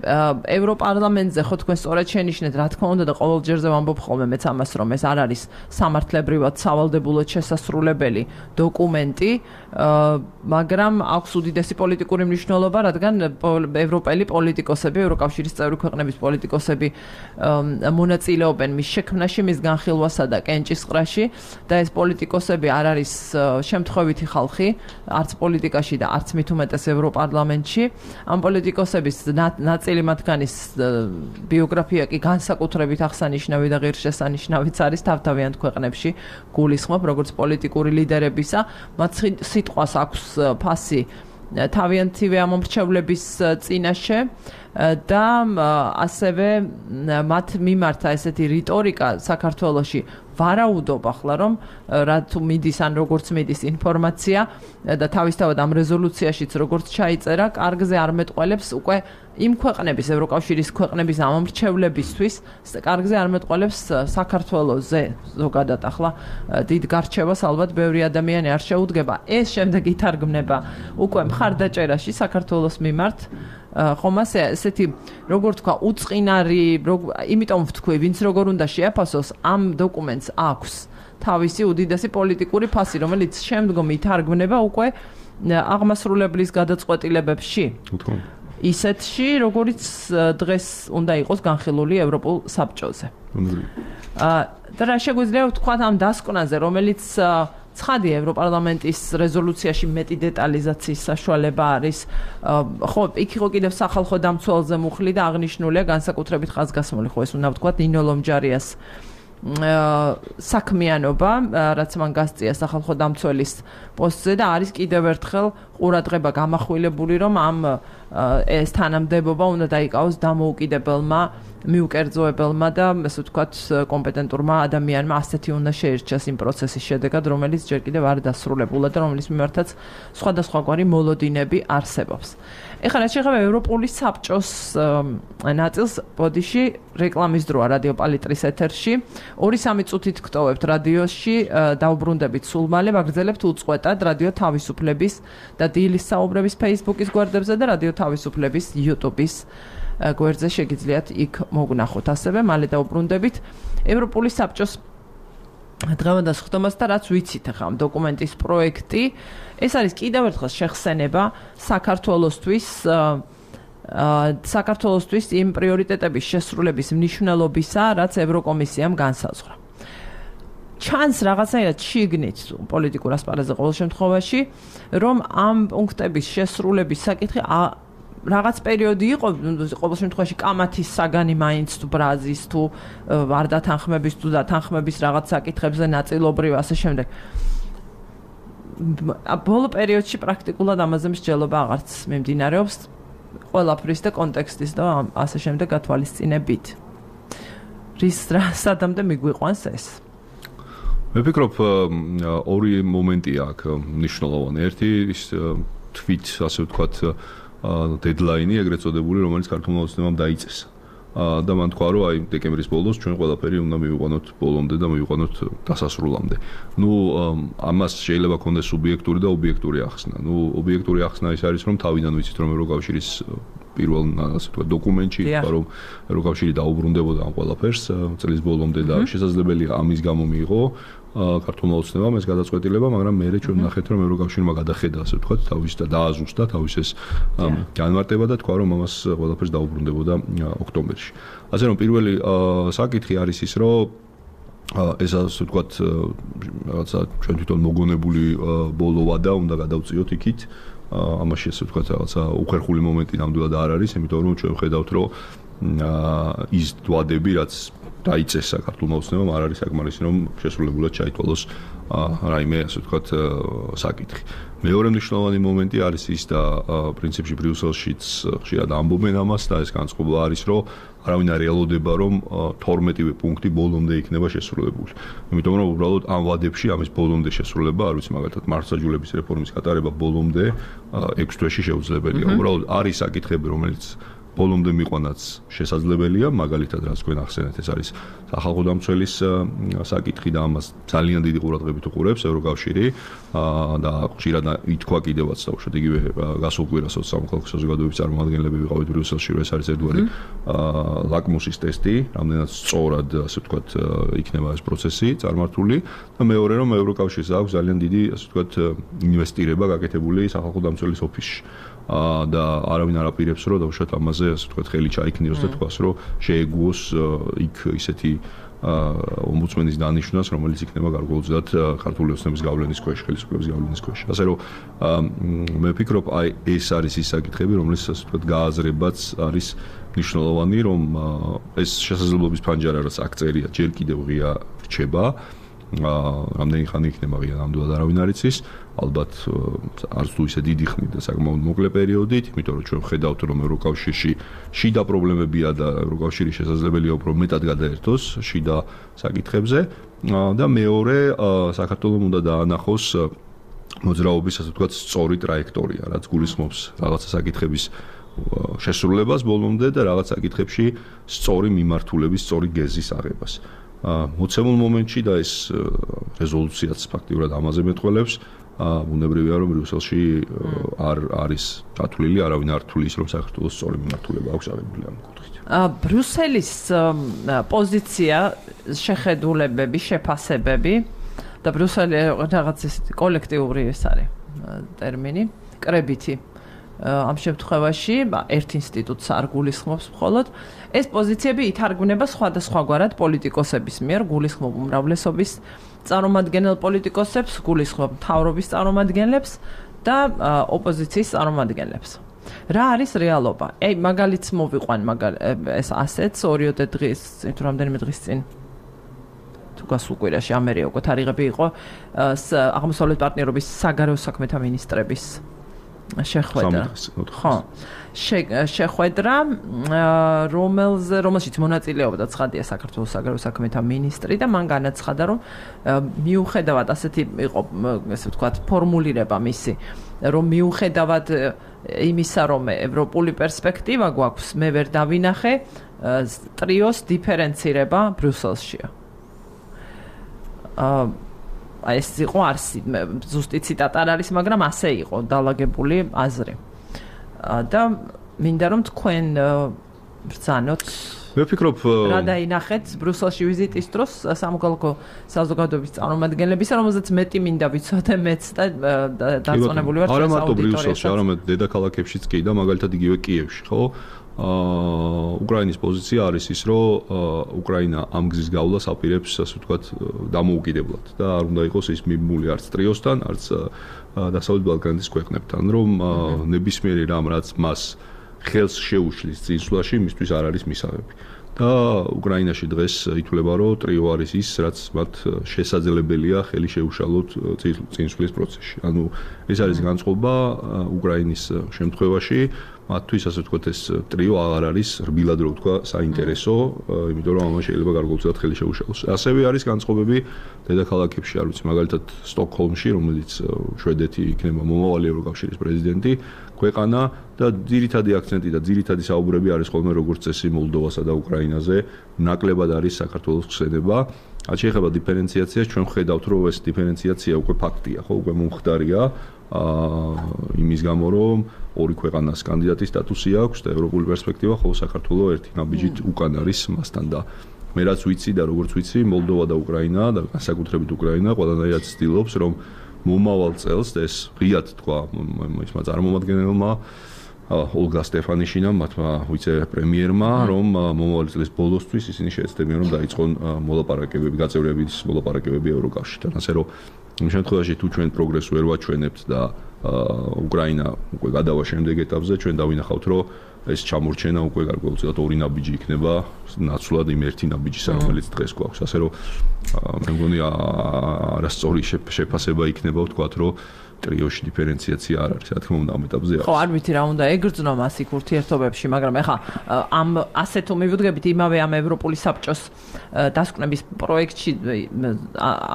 ევროპარლამენტზე ხო თქვენ სწორად შენიშნეთ, რა თქმა უნდა და ყოველ ჯერზე ვამბობ ხოლმე მეც ამას, რომ ეს არ არის სამართლებრივად სავალდებულოდ შესასრულებელი დოკუმენტი, მაგრამ აქვს უდიდესი პოლიტიკური მნიშვნელობა, რადგან ევროპელი პოლიტიკოსები, ევროკავშირის წევრი ქვეყნების პოლიტიკოსები მონაწილეობენ მის შექმნაში, მის განხილვასა და კენჭისყრაში და ეს პოლიტიკოსები არ არის შემთხვევითი ხალხი, არც პოლიტიკაში და არც მით უმეტეს ევროპარლამენტში. ამ პოლიტიკოსების ნაწილი მათგანის ბიოგრაფია კი განსაკუთრებით აღსანიშნავი და ღირსშესანიშნავიც არის თავთავიანთ ქვეყნებში გულისხმობ როგორც პოლიტიკური ლიდერებისა, მათ სიტყვას აქვს ფასი თავიანთივე ამომრჩევლების წინაშე და ასევე მათ მიმართა ესეთი რიტორიკა საქართველოში ვარაუდობ ახლა რომ რა თუ მიდის ან როგორც მიდის ინფორმაცია და თავისთავად ამ რეზოლუციაშიც როგორც ჩაიწერა, კარგზე არ მეტყველებს უკვე იმ ქვეყნების, ევროკავშირის ქვეყნების ამომრჩევლებისთვის, კარგზე არ მეტყველებს საქართველოზე ზოგადად ახლა დიდ გარჩევას ალბათ ბევრი ადამიანი არ შეუდგება. ეს შემდეგ ითარგმნება უკვე მხარდაჭერაში საქართველოს მიმართ. ხომ ესეთი როგორ თქვა უწყინარი, იმიტომ ვთქვი, ვინც როგორ უნდა შეაფასოს, ამ დოკუმენტს აქვს თავისი უდიდესი პოლიტიკური ფასი, რომელიც შემდგომ ითარგმნება უკვე აღმასრულებლის გადაწყვეტილებებში. ისეთში, როგორც დღეს უნდა იყოს განხილული ევროპულ საბჭოზე. და რა შეგვიძლია ვთქვათ ამ დასკვნაზე, რომელიც ცხადია ევროპარლამენტის რეზოლუციაში მეტი დეტალიზაციის საშუალება არის. ხო, იქ იყო კიდევ სახალხო დამცველზე მუხლი და აღნიშნულია განსაკუთრებით ხაზგასმული, ხო ეს უნდა ვთქვათ ნინო ლომჯარიას საქმიანობა, რაც მან გასწია სახალხო დამცველის პოსტზე და არის კიდევ ერთხელ ყურადღება გამახვილებული, რომ ამ ეს თანამდებობა უნდა დაიკავოს დამოუკიდებელმა მიუკერძოებელმა და ესე ვთქვათ კომპეტენტურმა ადამიანმა ასეთი უნდა შეირჩეს იმ პროცესის შედეგად, რომელიც ჯერ კიდევ არ დასრულებულა და რომლის მიმართაც სხვადასხვაგვარი მოლოდინები არსებობს. ეხლა რაც შეეხება ევროპული საბჭოს ნაწილს, ბოდიში რეკლამის დროა რადიო პალიტრის ეთერში. 2-3 წუთით გტოვებთ რადიოში, დაუბრუნდებით სულ მალე, ვაგრძელებთ უწყვეტად რადიო თავისუფლების და დილის საუბრების Facebook-ის გვერდებზე და რადიო თავისუფლების YouTube-ის გვერდზე შეგიძლიათ იქ მოგნახოთ. ასევე მალე დაუბრუნდებით ევროპული საბჭოს დღევანდელ ხდომას და რაც ვიცით ახლა ამ დოკუმენტის პროექტი, ეს არის კიდევ ერთხელ შეხსენება საქართველოსთვის იმ პრიორიტეტების შესრულების მნიშვნელობისა, რაც ევროკომისიამ განსაზღვრა. ჩანს რაღაცნაირად შიგნით პოლიტიკურ ასპარეზზე ყოველ შემთხვევაში, რომ ამ პუნქტების შესრულების საკითხი რაღაც პერიოდი იყო, ყოველ შემთხვევაში კამათის საგანი მაინც თუ ბრაზის თუ არ დათანხმების თუ დათანხმების რაღაც საკითხებზე ნაწილობრივ ასე შემდეგ. ბოლო პერიოდში პრაქტიკულად ამაზე მსჯელობა აღარც მიმდინარეობს ყველაფრის და კონტექსტის და ასე შემდეგ გათვალისწინებით. რის სადამდე მიგვიყვანს ეს? მე ვფიქრობ ორი მომენტია აქ მნიშვნელოვანი. ერთი ის თვით ასე ვთქვათ დედლაინი ეგრეთ წოდებული, რომელიც ქართულმა ოცნებამ დაიწესა. და მან თქვა, რომ აი დეკემბრის ბოლოს ჩვენ ყველაფერი უნდა მივიყვანოთ ბოლომდე და მივიყვანოთ დასასრულამდე. ნუ ამას შეიძლება ქონდეს სუბიექტური და ობიექტური ახსნა. ნუ ობიექტური ახსნა ის არის, რომ თავიდან ვიცით, რომ ევროკავშირის პირველ ასე ვთქვათ დოკუმენტში თქვა, რომ ევროკავშირი დაუბრუნდებოდა ამ ყველაფერს წლის ბოლომდე და შესაძლებელია ამის გამო მიიღო ქართულმა ოცნებამ ეს გადაწყვეტილება, მაგრამ მე ჩვენ ნახეთ, რომ ევროკავშირმა გადახედა, ასე ვთქვათ, თავის და დააზუსტა თავის ეს განმარტება და თქვა, რომ ამას ყველაფერს დაუბრუნდებოდა ოქტომბერში. ასე რომ პირველი საკითხი არის ის, რომ ეს ასე ვთქვათ, რაღაცა ჩვენ თვითონ მოგონებული ბოლოვა და უნდა გადავწიოთ იქით. ამაში ასე ვთქვათ, რაღაცა უხერხული მომენტი ნამდვილად არ არის, იმიტომ რომ ჩვენ ვხედავთ, რომ ის დვადები, რაც დაიწეს საქართველოს მოცნებამ არ არის საკმარისი რომ შესრულებულად ჩაითვალოს რაიმე ასე ვთქვათ საკითხი. მეორე მნიშვნელოვანი მომენტი არის ის და პრინციპში ბრიუსელშიც ხშირად ამბობენ ამას და ეს განწყობა არის რომ არავინ არ ელოდება რომ 12-ვე პუნქტი ბოლომდე იქნება შესრულებული. იმიტომ რომ უბრალოდ ამ ვადებში ამის ბოლომდე შესრულება არ ვიცი მაგალითად მართლმსაჯულების რეფორმის გატარება ბოლომდე 6 თვეში შეუძლებელია. უბრალოდ არის საკითხები რომელიც ბოლომდე მიყვანაც შესაძლებელია, მაგალითად რაც თქვენ ახსენეთ, ეს არის სახალხო დამცველის საკითხი და ამას ძალიან დიდი ყურადღებით უყურებს ევროკავშირი და ხშირად ითქვა კიდევაც თავშოთ იგივე გასულ კვირასაც სამხალხო საზოგადოების წარმომადგენლები ვიყავით ბრიუსელში, რომ ეს არის ერთგვარი ლაკმუსის ტესტი, რამდენად სწორად ასე ვთქვათ იქნება ეს პროცესი წარმართული და მეორე რომ ევროკავშირს აქვს ძალიან დიდი ასე ვთქვათ ინვესტირება გაკეთებული სახალხო დამცველის ოფისში. და არავინ არ აპირებს რომ დავუშვათ ამაზე ასე ვთქვათ ხელი ჩაიქნიოს და თქვას რომ შეეგუოს იქ ისეთი ომბუდსმენის დანიშვნას რომელიც იქნება გარკვეულწილად ქართული ოცნების გავლენის ქვეშ, ხელისუფლების გავლენის ქვეშ. ასე რომ მე ვფიქრობ აი ეს არის ის საკითხები რომელიც ასე ვთქვათ გააზრებაც არის მნიშვნელოვანი რომ ეს შესაძლებლობის ფანჯარა რაც აქ წერია ჯერ კიდევ ღია რჩება რამდენი ხანი იქნება ღია ნამდვილად არავინ არ იცის ალბათ არც თუ ისე დიდი ხნით და საკმაოდ მოკლე პერიოდით იმიტომ რომ ჩვენ ვხედავთ რომ ევროკავშირში შიდა პრობლემებია და ევროკავშირი შესაძლებელია უფრო მეტად გადაერთოს შიდა საკითხებზე და მეორე საქართველოს უნდა დაანახოს მოძრაობის ასე ვთქვათ სწორი ტრაექტორია რაც გულისხმობს რაღაცა საკითხების შესრულებას ბოლომდე და რაღაც საკითხებში სწორი მიმართულების სწორი გეზის აღებას მოცემულ მომენტში და ეს რეზოლუციაც ფაქტიურად ამაზე მეტყველებს ბუნებრივია რომ ბრიუსელში არ არის დათვლილი არავინ არ თვლის რომ საქართველოს სწორი მიმართულება აქვს აღებული ამ კუთხით. ბრიუსელის პოზიცია შეხედულებები შეფასებები და ბრიუსელი რაღაც ისეთი კოლექტიური ეს არის ტერმინი კრებითი ამ შემთხვევაში ერთ ინსტიტუტს არ გულისხმობს მხოლოდ ეს პოზიციები ითარგმნება სხვადასხვაგვარად პოლიტიკოსების მიერ გულისხმობ უმრავლესობის წარმომადგენელ პოლიტიკოსებს გულისხმობ მთავრობის წარმომადგენლებს და ოპოზიციის წარმომადგენლებს რა არის რეალობა აი მაგალითს მოვიყვან ეს ასეთს 2 დღის თუ რამდენიმე დღის წინ თუ გასულ კვირაში ამერიკა თარიღები იყო აღმოსავლეთ პარტნიორობის საგარეო საქმეთა მინისტრების შეხვედრა ხო შეხვედრა რომელშიც მონაწილეობდა ცხადია საქართველოს საგარეო საქმეთა მინისტრი და მან განაცხადა რომ მიუხედავად ასეთი იყო ესე ვთქვათ ფორმულირება მისი რომ მიუხედავად იმისა რომ ევროპული პერსპექტივა გვაქვს მე ვერ დავინახე ტრიოს დიფერენცირება ბრიუსელშია ეს იყო არსი ზუსტი ციტატა არ არის მაგრამ ასე იყო დალაგებული აზრი და მინდა რომ თქვენ ბრძანოთ მე ვფიქრობ რა დაინახეთ ბრიუსელში ვიზიტის დროს სამოქალაქო საზოგადოების წარმომადგენლებისა რომელზეც მეტი მინდა ვიცოდე მეც და დაწონებული ვარ არა მარტო ბრიუსელში არამედ დედაქალაქებშიც კი და მაგალითად იგივე კიევში ხო უკრაინის პოზიცია არის ის, რომ უკრაინა ამ გზის გავლას აპირებს, ასე ვთქვათ, დამოუკიდებლად და არ უნდა იყოს ის მიმული არც ტრიოსთან, არც დასავლეთ ბალკანეთის ქვეყნებთან, რომ ნებისმიერი რამ რაც მას ხელს შეუშლის წინსვლაში, მისთვის არ არის მისაღები. და უკრაინაში დღეს ითვლება, რომ ტრიო არის ის, რაც მათ შესაძლებელია ხელი შეუშალოთ წინსვლის პროცესში. ანუ ეს არის განწყობა უკრაინის შემთხვევაში მათთვის ასე ვთქვათ ეს ტრიო აღარ არის რბილად რო ვთქვა საინტერესო, იმიტომ რომ ამან შეიძლება გარკვეულწილად ხელი შეუშალოს. ასევე არის განწყობები დედაქალაქებში, არ ვიცი, მაგალითად სტოკჰოლმში, რომელიც შვედეთი იქნება მომავალი ევროკავშირის პრეზიდენტი, ქვეყანა და ძირითადი აქცენტი და ძირითადი საუბრები არის ხოლმე როგორც წესი მოლდოვასა და უკრაინაზე, ნაკლებად არის საქართველოს ხსენება. რაც შეეხება დიფერენციაციას, ჩვენ ვხედავთ, რომ ეს დიფერენციაცია უკვე ფაქტია, ხო, უკვე მომხდარია. იმის გამო რომ ორი ქვეყანას კანდიდატის სტატუსი აქვს და ევროპული პერსპექტივა ხოლო საქართველოს ერთი ნაბიჯით უკან არის მასთან და მე რაც ვიცი და როგორც ვიცი მოლდოვა და უკრაინა და განსაკუთრებით უკრაინა ყველანაირად ცდილობს რომ მომავალ წელს ეს ღიად თქვა ისმა წარმომადგენელმა ოლგა სტეფანიშინამ მათმა ვიცე-პრემიერმა რომ მომავალი წლის ბოლოსთვის ისინი შეეცდებიან რომ დაიწყონ მოლაპარაკებები გაწევრების მოლაპარაკებები ევროკავშირთან ასე რომ იმ შემთხვევაში თუ ჩვენ პროგრესს ვერ ვაჩვენებთ და უკრაინა უკვე გადავა შემდეგ ეტაპზე, ჩვენ დავინახავთ, რომ ეს ჩამორჩენა უკვე გარკვეულწილად ორი ნაბიჯი იქნება, ნაცვლად იმ ერთი ნაბიჯისა, რომელიც დღეს გვაქვს. ასე რომ მე მგონი არასწორი შეფასება იქნება, ვთქვათ, რომ ტრიოში დიფერენციაცია არ არის, რა თქმა უნდა, ამ ეტაპზე არის. ხო, არ ვიცი რა უნდა ეგრძნო მას იქ ურთიერთობებში, მაგრამ ეხლა ამ ასე თუ მივუდგებით იმავე ამ ევროპული საბჭოს დასკვნების პროექტში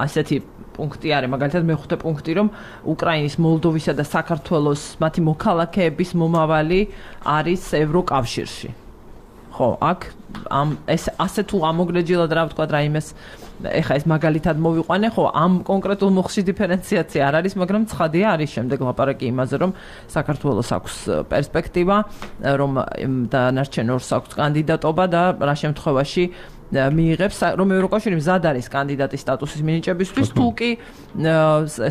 ასეთი პუნქტი არის, მაგალითად მეხუთე პუნქტი, რომ უკრაინის, მოლდოვისა და საქართველოს მათი მოქალაქეების მომავალი არის ევროკავშირში. ხო, აქ ეს ასე თუ ამოგრეჯილად რა ვთქვა რაიმეს ეხა ეს მაგალითად მოვიყვანე, ხო, ამ კონკრეტულ მოხში დიფერენციაცია არ არის, მაგრამ ცხადია არის შემდეგ ლაპარაკი იმაზე, რომ საქართველოს აქვს პერსპექტივა, რომ დანარჩენ ორს აქვს კანდიდატობა და რა შემთხვევაში მიიღებს, რომ ევროკავშირი მზად არის კანდიდატის სტატუსის მინიჭებისთვის, თუ კი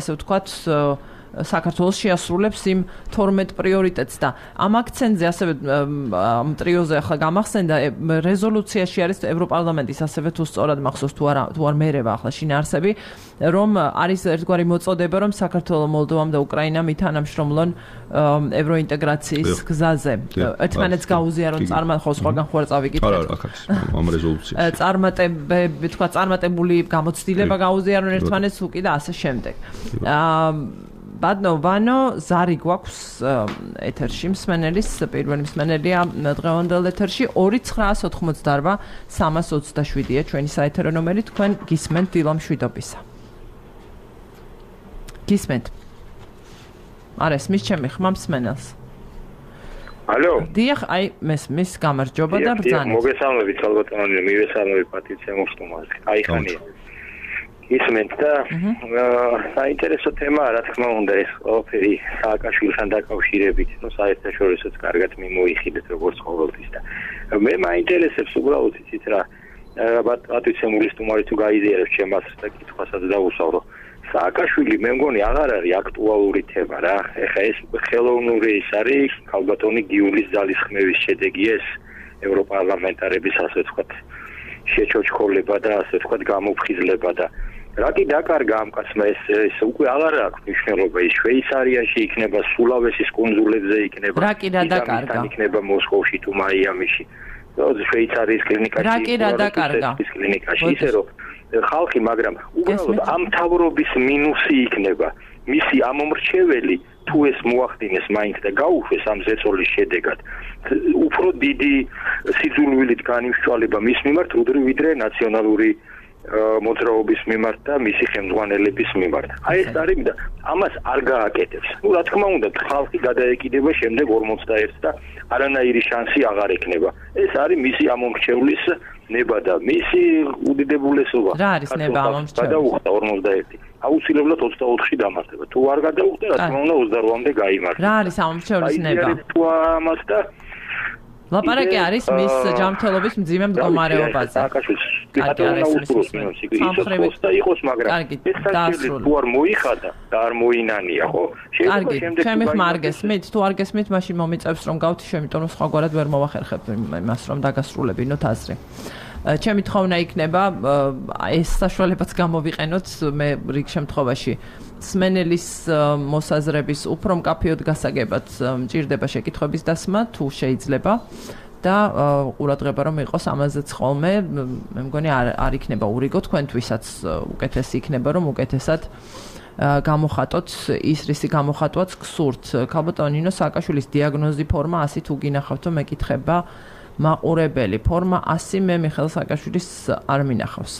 ესე ვთქვათ საქართველოს შეასრულებს იმ 12 პრიორიტეტს და ამ აქცენტზე ასევე ამ ტრიოზე ახლა გამახსენდა რეზოლუციაში არის ევროპარლამენტის ასევე თუ სწორად მახსოვს თუ არ მერევა ახლა შინაარსები რომ არის ერთგვარი მოწოდება რომ საქართველო, მოლდოვამ და უკრაინამ ითანამშრომლონ ევროინტეგრაციის გზაზე. ერთმანეთს გაუზიარონ ხო სხვაგან ხო არ წავიკითხეთ. არა, აქ არის ამ რეზოლუციაში. წარმატებები, თქვა წარმატებული გამოცდილება გაუზიარონ ერთმანეთს უკი და ასე შემდეგ. ბადნო ზარი გვაქვს ეთერში მსმენელის პირველი მსმენელია დღევანდელ ეთერში 2988 327-ია ჩვენი საეთერო ნომერი, თქვენ გისმენთ დილა მშვიდობისა. გისმენთ. არა, ესმის ჩემი ხმა მსმენელს. ალო. დიახ, აი მის გამარჯობა და ბრძანეთ. მოგესალმებით ალბათ, მივესალმებით პატრიცია მოსტომაზე. აი ხანია. ისმენთ და საინტერესო თემაა, რა თქმა უნდა, ეს ყველაფერი სააკაშვილთან დაკავშირებით, საერთაშორისოც კარგად მიმოიხილეთ როგორც ყოველთვის და მე მაინტერესებს უბრალოდ იცით რა, პატრიცემული სტუმარი თუ გაიზიარებს ჩემს და კითხვასაც დაუსვავ, რომ სააკაშვილი მე მგონი აღარ არის აქტუალური თემა რა. ეხლა ეს ხელოვნური ის არის ქალბატონი გიულის ძალისხმევის შედეგი ეს ევროპარლამენტარების ასე ვთქვათ შეჩოჩქოლება და ასე ვთქვათ გამოფხიზლება და რა კი დაკარგა ამ კაცმა ეს უკვე აღარ აქვს მნიშვნელობა, ის შვეიცარიაში იქნება, სულავესის კუნძულებზე იქნება, რა კი რა დაკარგა იქნება მოსკოვში თუ მაიამიში, შვეიცარიის კლინიკაში, რა კი რა დაკარგა კლინიკაში, ისე რომ ხალხი, მაგრამ უბრალოდ ამ თავრობის მინუსი იქნება მისი ამომრჩეველი თუ ეს მოახდინეს მაინც და გაუშვეს ამ ზეწოლის შედეგად უფრო დიდი სიძულვილით განიმსჯვალება მის მიმართ ვიდრე ნაციონალური მოძრაობის მიმართ და მისი ხელმძღვანელების მიმართ. აი ეს არის და ამას არ გააკეთებს. რა თქმა უნდა, ხალხი გადაეკიდება შემდეგ 41 და არანაირი შანსი აღარ ექნება. ეს არის მისი ამომრჩევლის ნება და მისი უდიდებულესობა. რა არის ნება ამომრჩევლის? გადაუხდა 41. აუცილებლად 24-ში დამართება. თუ არ გადაუხდა, რა თქმა უნდა 28-მდე გაიმართა. რა არის ამომრჩევლის ნება? თუ ამას და ლაპარაკი არის მის ჯანმრთელობის მძიმე მდგომარეობაზე. კარგი, თუ არ მოიხადა და არ მოინანია, ხო? კარგი, ჩემი ხმა არ გესმით, თუ არ გესმით, მაშინ მომიწევს რომ გავთიშო, იმიტომ რომ სხვაგვარად ვერ მოვახერხებ იმას რომ დაგასრულებინოთ აზრი. ჩემი თხოვნა იქნება ეს საშუალებაც გამოვიყენოთ მე რიგ შემთხვევაში სმენელის მოსაზრების უფრო მკაფიოდ გასაგებად მჭირდება შეკითხვების დასმა თუ შეიძლება და ყურადღება რომ იყოს ამაზეც ხოლმე მე მგონი არ იქნება ურიგო თქვენთვისაც უკეთესი იქნება რომ უკეთესად გამოხატოთ ის რისი გამოხატვაც გსურთ. ქალბატონ ნინო სააკაშვილის დიაგნოზი ფორმა 100 თუ გინახავთო მეკითხება მაყურებელი ფორმა 100 მე მიხეილ სააკაშვილის არ მინახავს.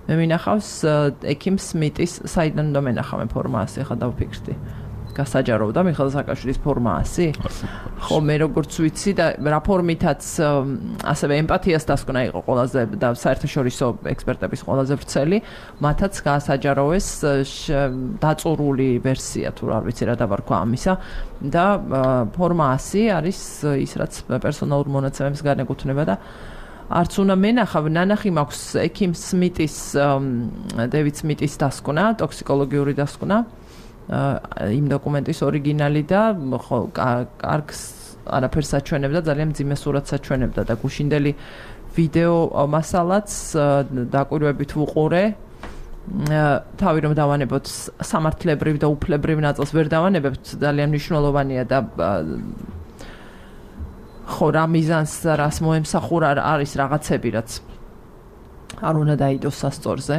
მე მინახავს ექიმ სმიტის საიდან უნდა მენახავ ფორმა 100 ხა დავფიქრდი. გასაჯაროვდა მიხეილ სააკაშვილის ფორმა 100? ხო, მე როგორც ვიცი და რა ფორმითაც ასევე ემპათიას დასკვნა იყო ყველაზე და საერთაშორისო ექსპერტების ყველაზე ვრცელი, მათაც გაასაჯაროვეს დაწურული ვერსია თუ არ ვიცი რა დავარქვა ამისა და ფორმა 100 არის ის რაც პერსონალურ მონაცემებს განეკუთვნება და არც უნდა მენახავ, ნანახი მაქვს ექიმ სმიტის, დევიდ სმიტის დასკვნა, ტოქსიკოლოგიური დასკვნა, იმ დოკუმენტის ორიგინალი და ხო, კარგს არაფერს აჩვენებდა, ძალიან მძიმე სურათს აჩვენებდა და გუშინდელი ვიდეო მასალაც დაკვირვებით ვუყურე თავი რომ დავანებოთ სამართლებრივ და უფლებრივ ნაწილს ვერ დავანებებთ ძალიან მნიშვნელოვანია და ხო რა მიზანს რას მოემსახურა არის რაღაცები რაც არ უნდა დაიდოს სასწორზე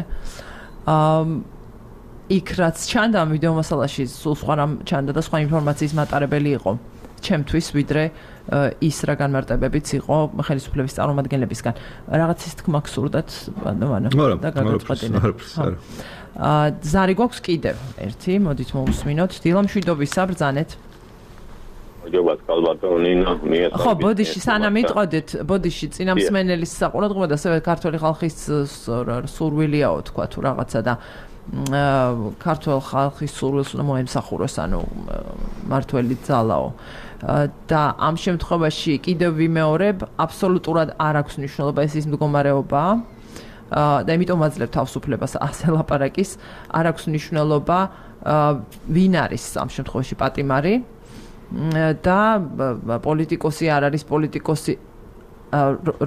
იქ რაც ჩანდა ვიდეო მასალაში სულ სხვა რამ ჩანდა და სხვა ინფორმაციის მატარებელი იყო ჩემთვის ვიდრე ის რა განმარტებებიც იყო ხელისუფლების წარმომადგენლებისგან რაღაცის თქმა გსურდათ და გაგაწყობინეთ ზარი გვაქვს კიდევ ერთი მოდით მოვუსმინოთ დილა მშვიდობისა ბრძანეთ მოგებათ კალბატონი ხო ბოდიში სანამ იტყოდეთ ბოდიში წინამსმენელის საყურადღება და ასევე ქართული ხალხის სურვილიაო თქვა თუ რაღაცა და ქართულ ხალხის სურვილს უნდა მოემსახუროს ანუ მართველი ძალაო და ამ შემთხვევაში კიდევ ვიმეორებ აბსოლუტურად არ აქვს მნიშვნელობა ეს ის მდგომარეობა და იმიტომ ვაძლევ თავისუფლებას ასე ლაპარაკის არ აქვს მნიშვნელობა ვინ არის ამ შემთხვევაში პატიმარი და პოლიტიკოსი არ არის პოლიტიკოსი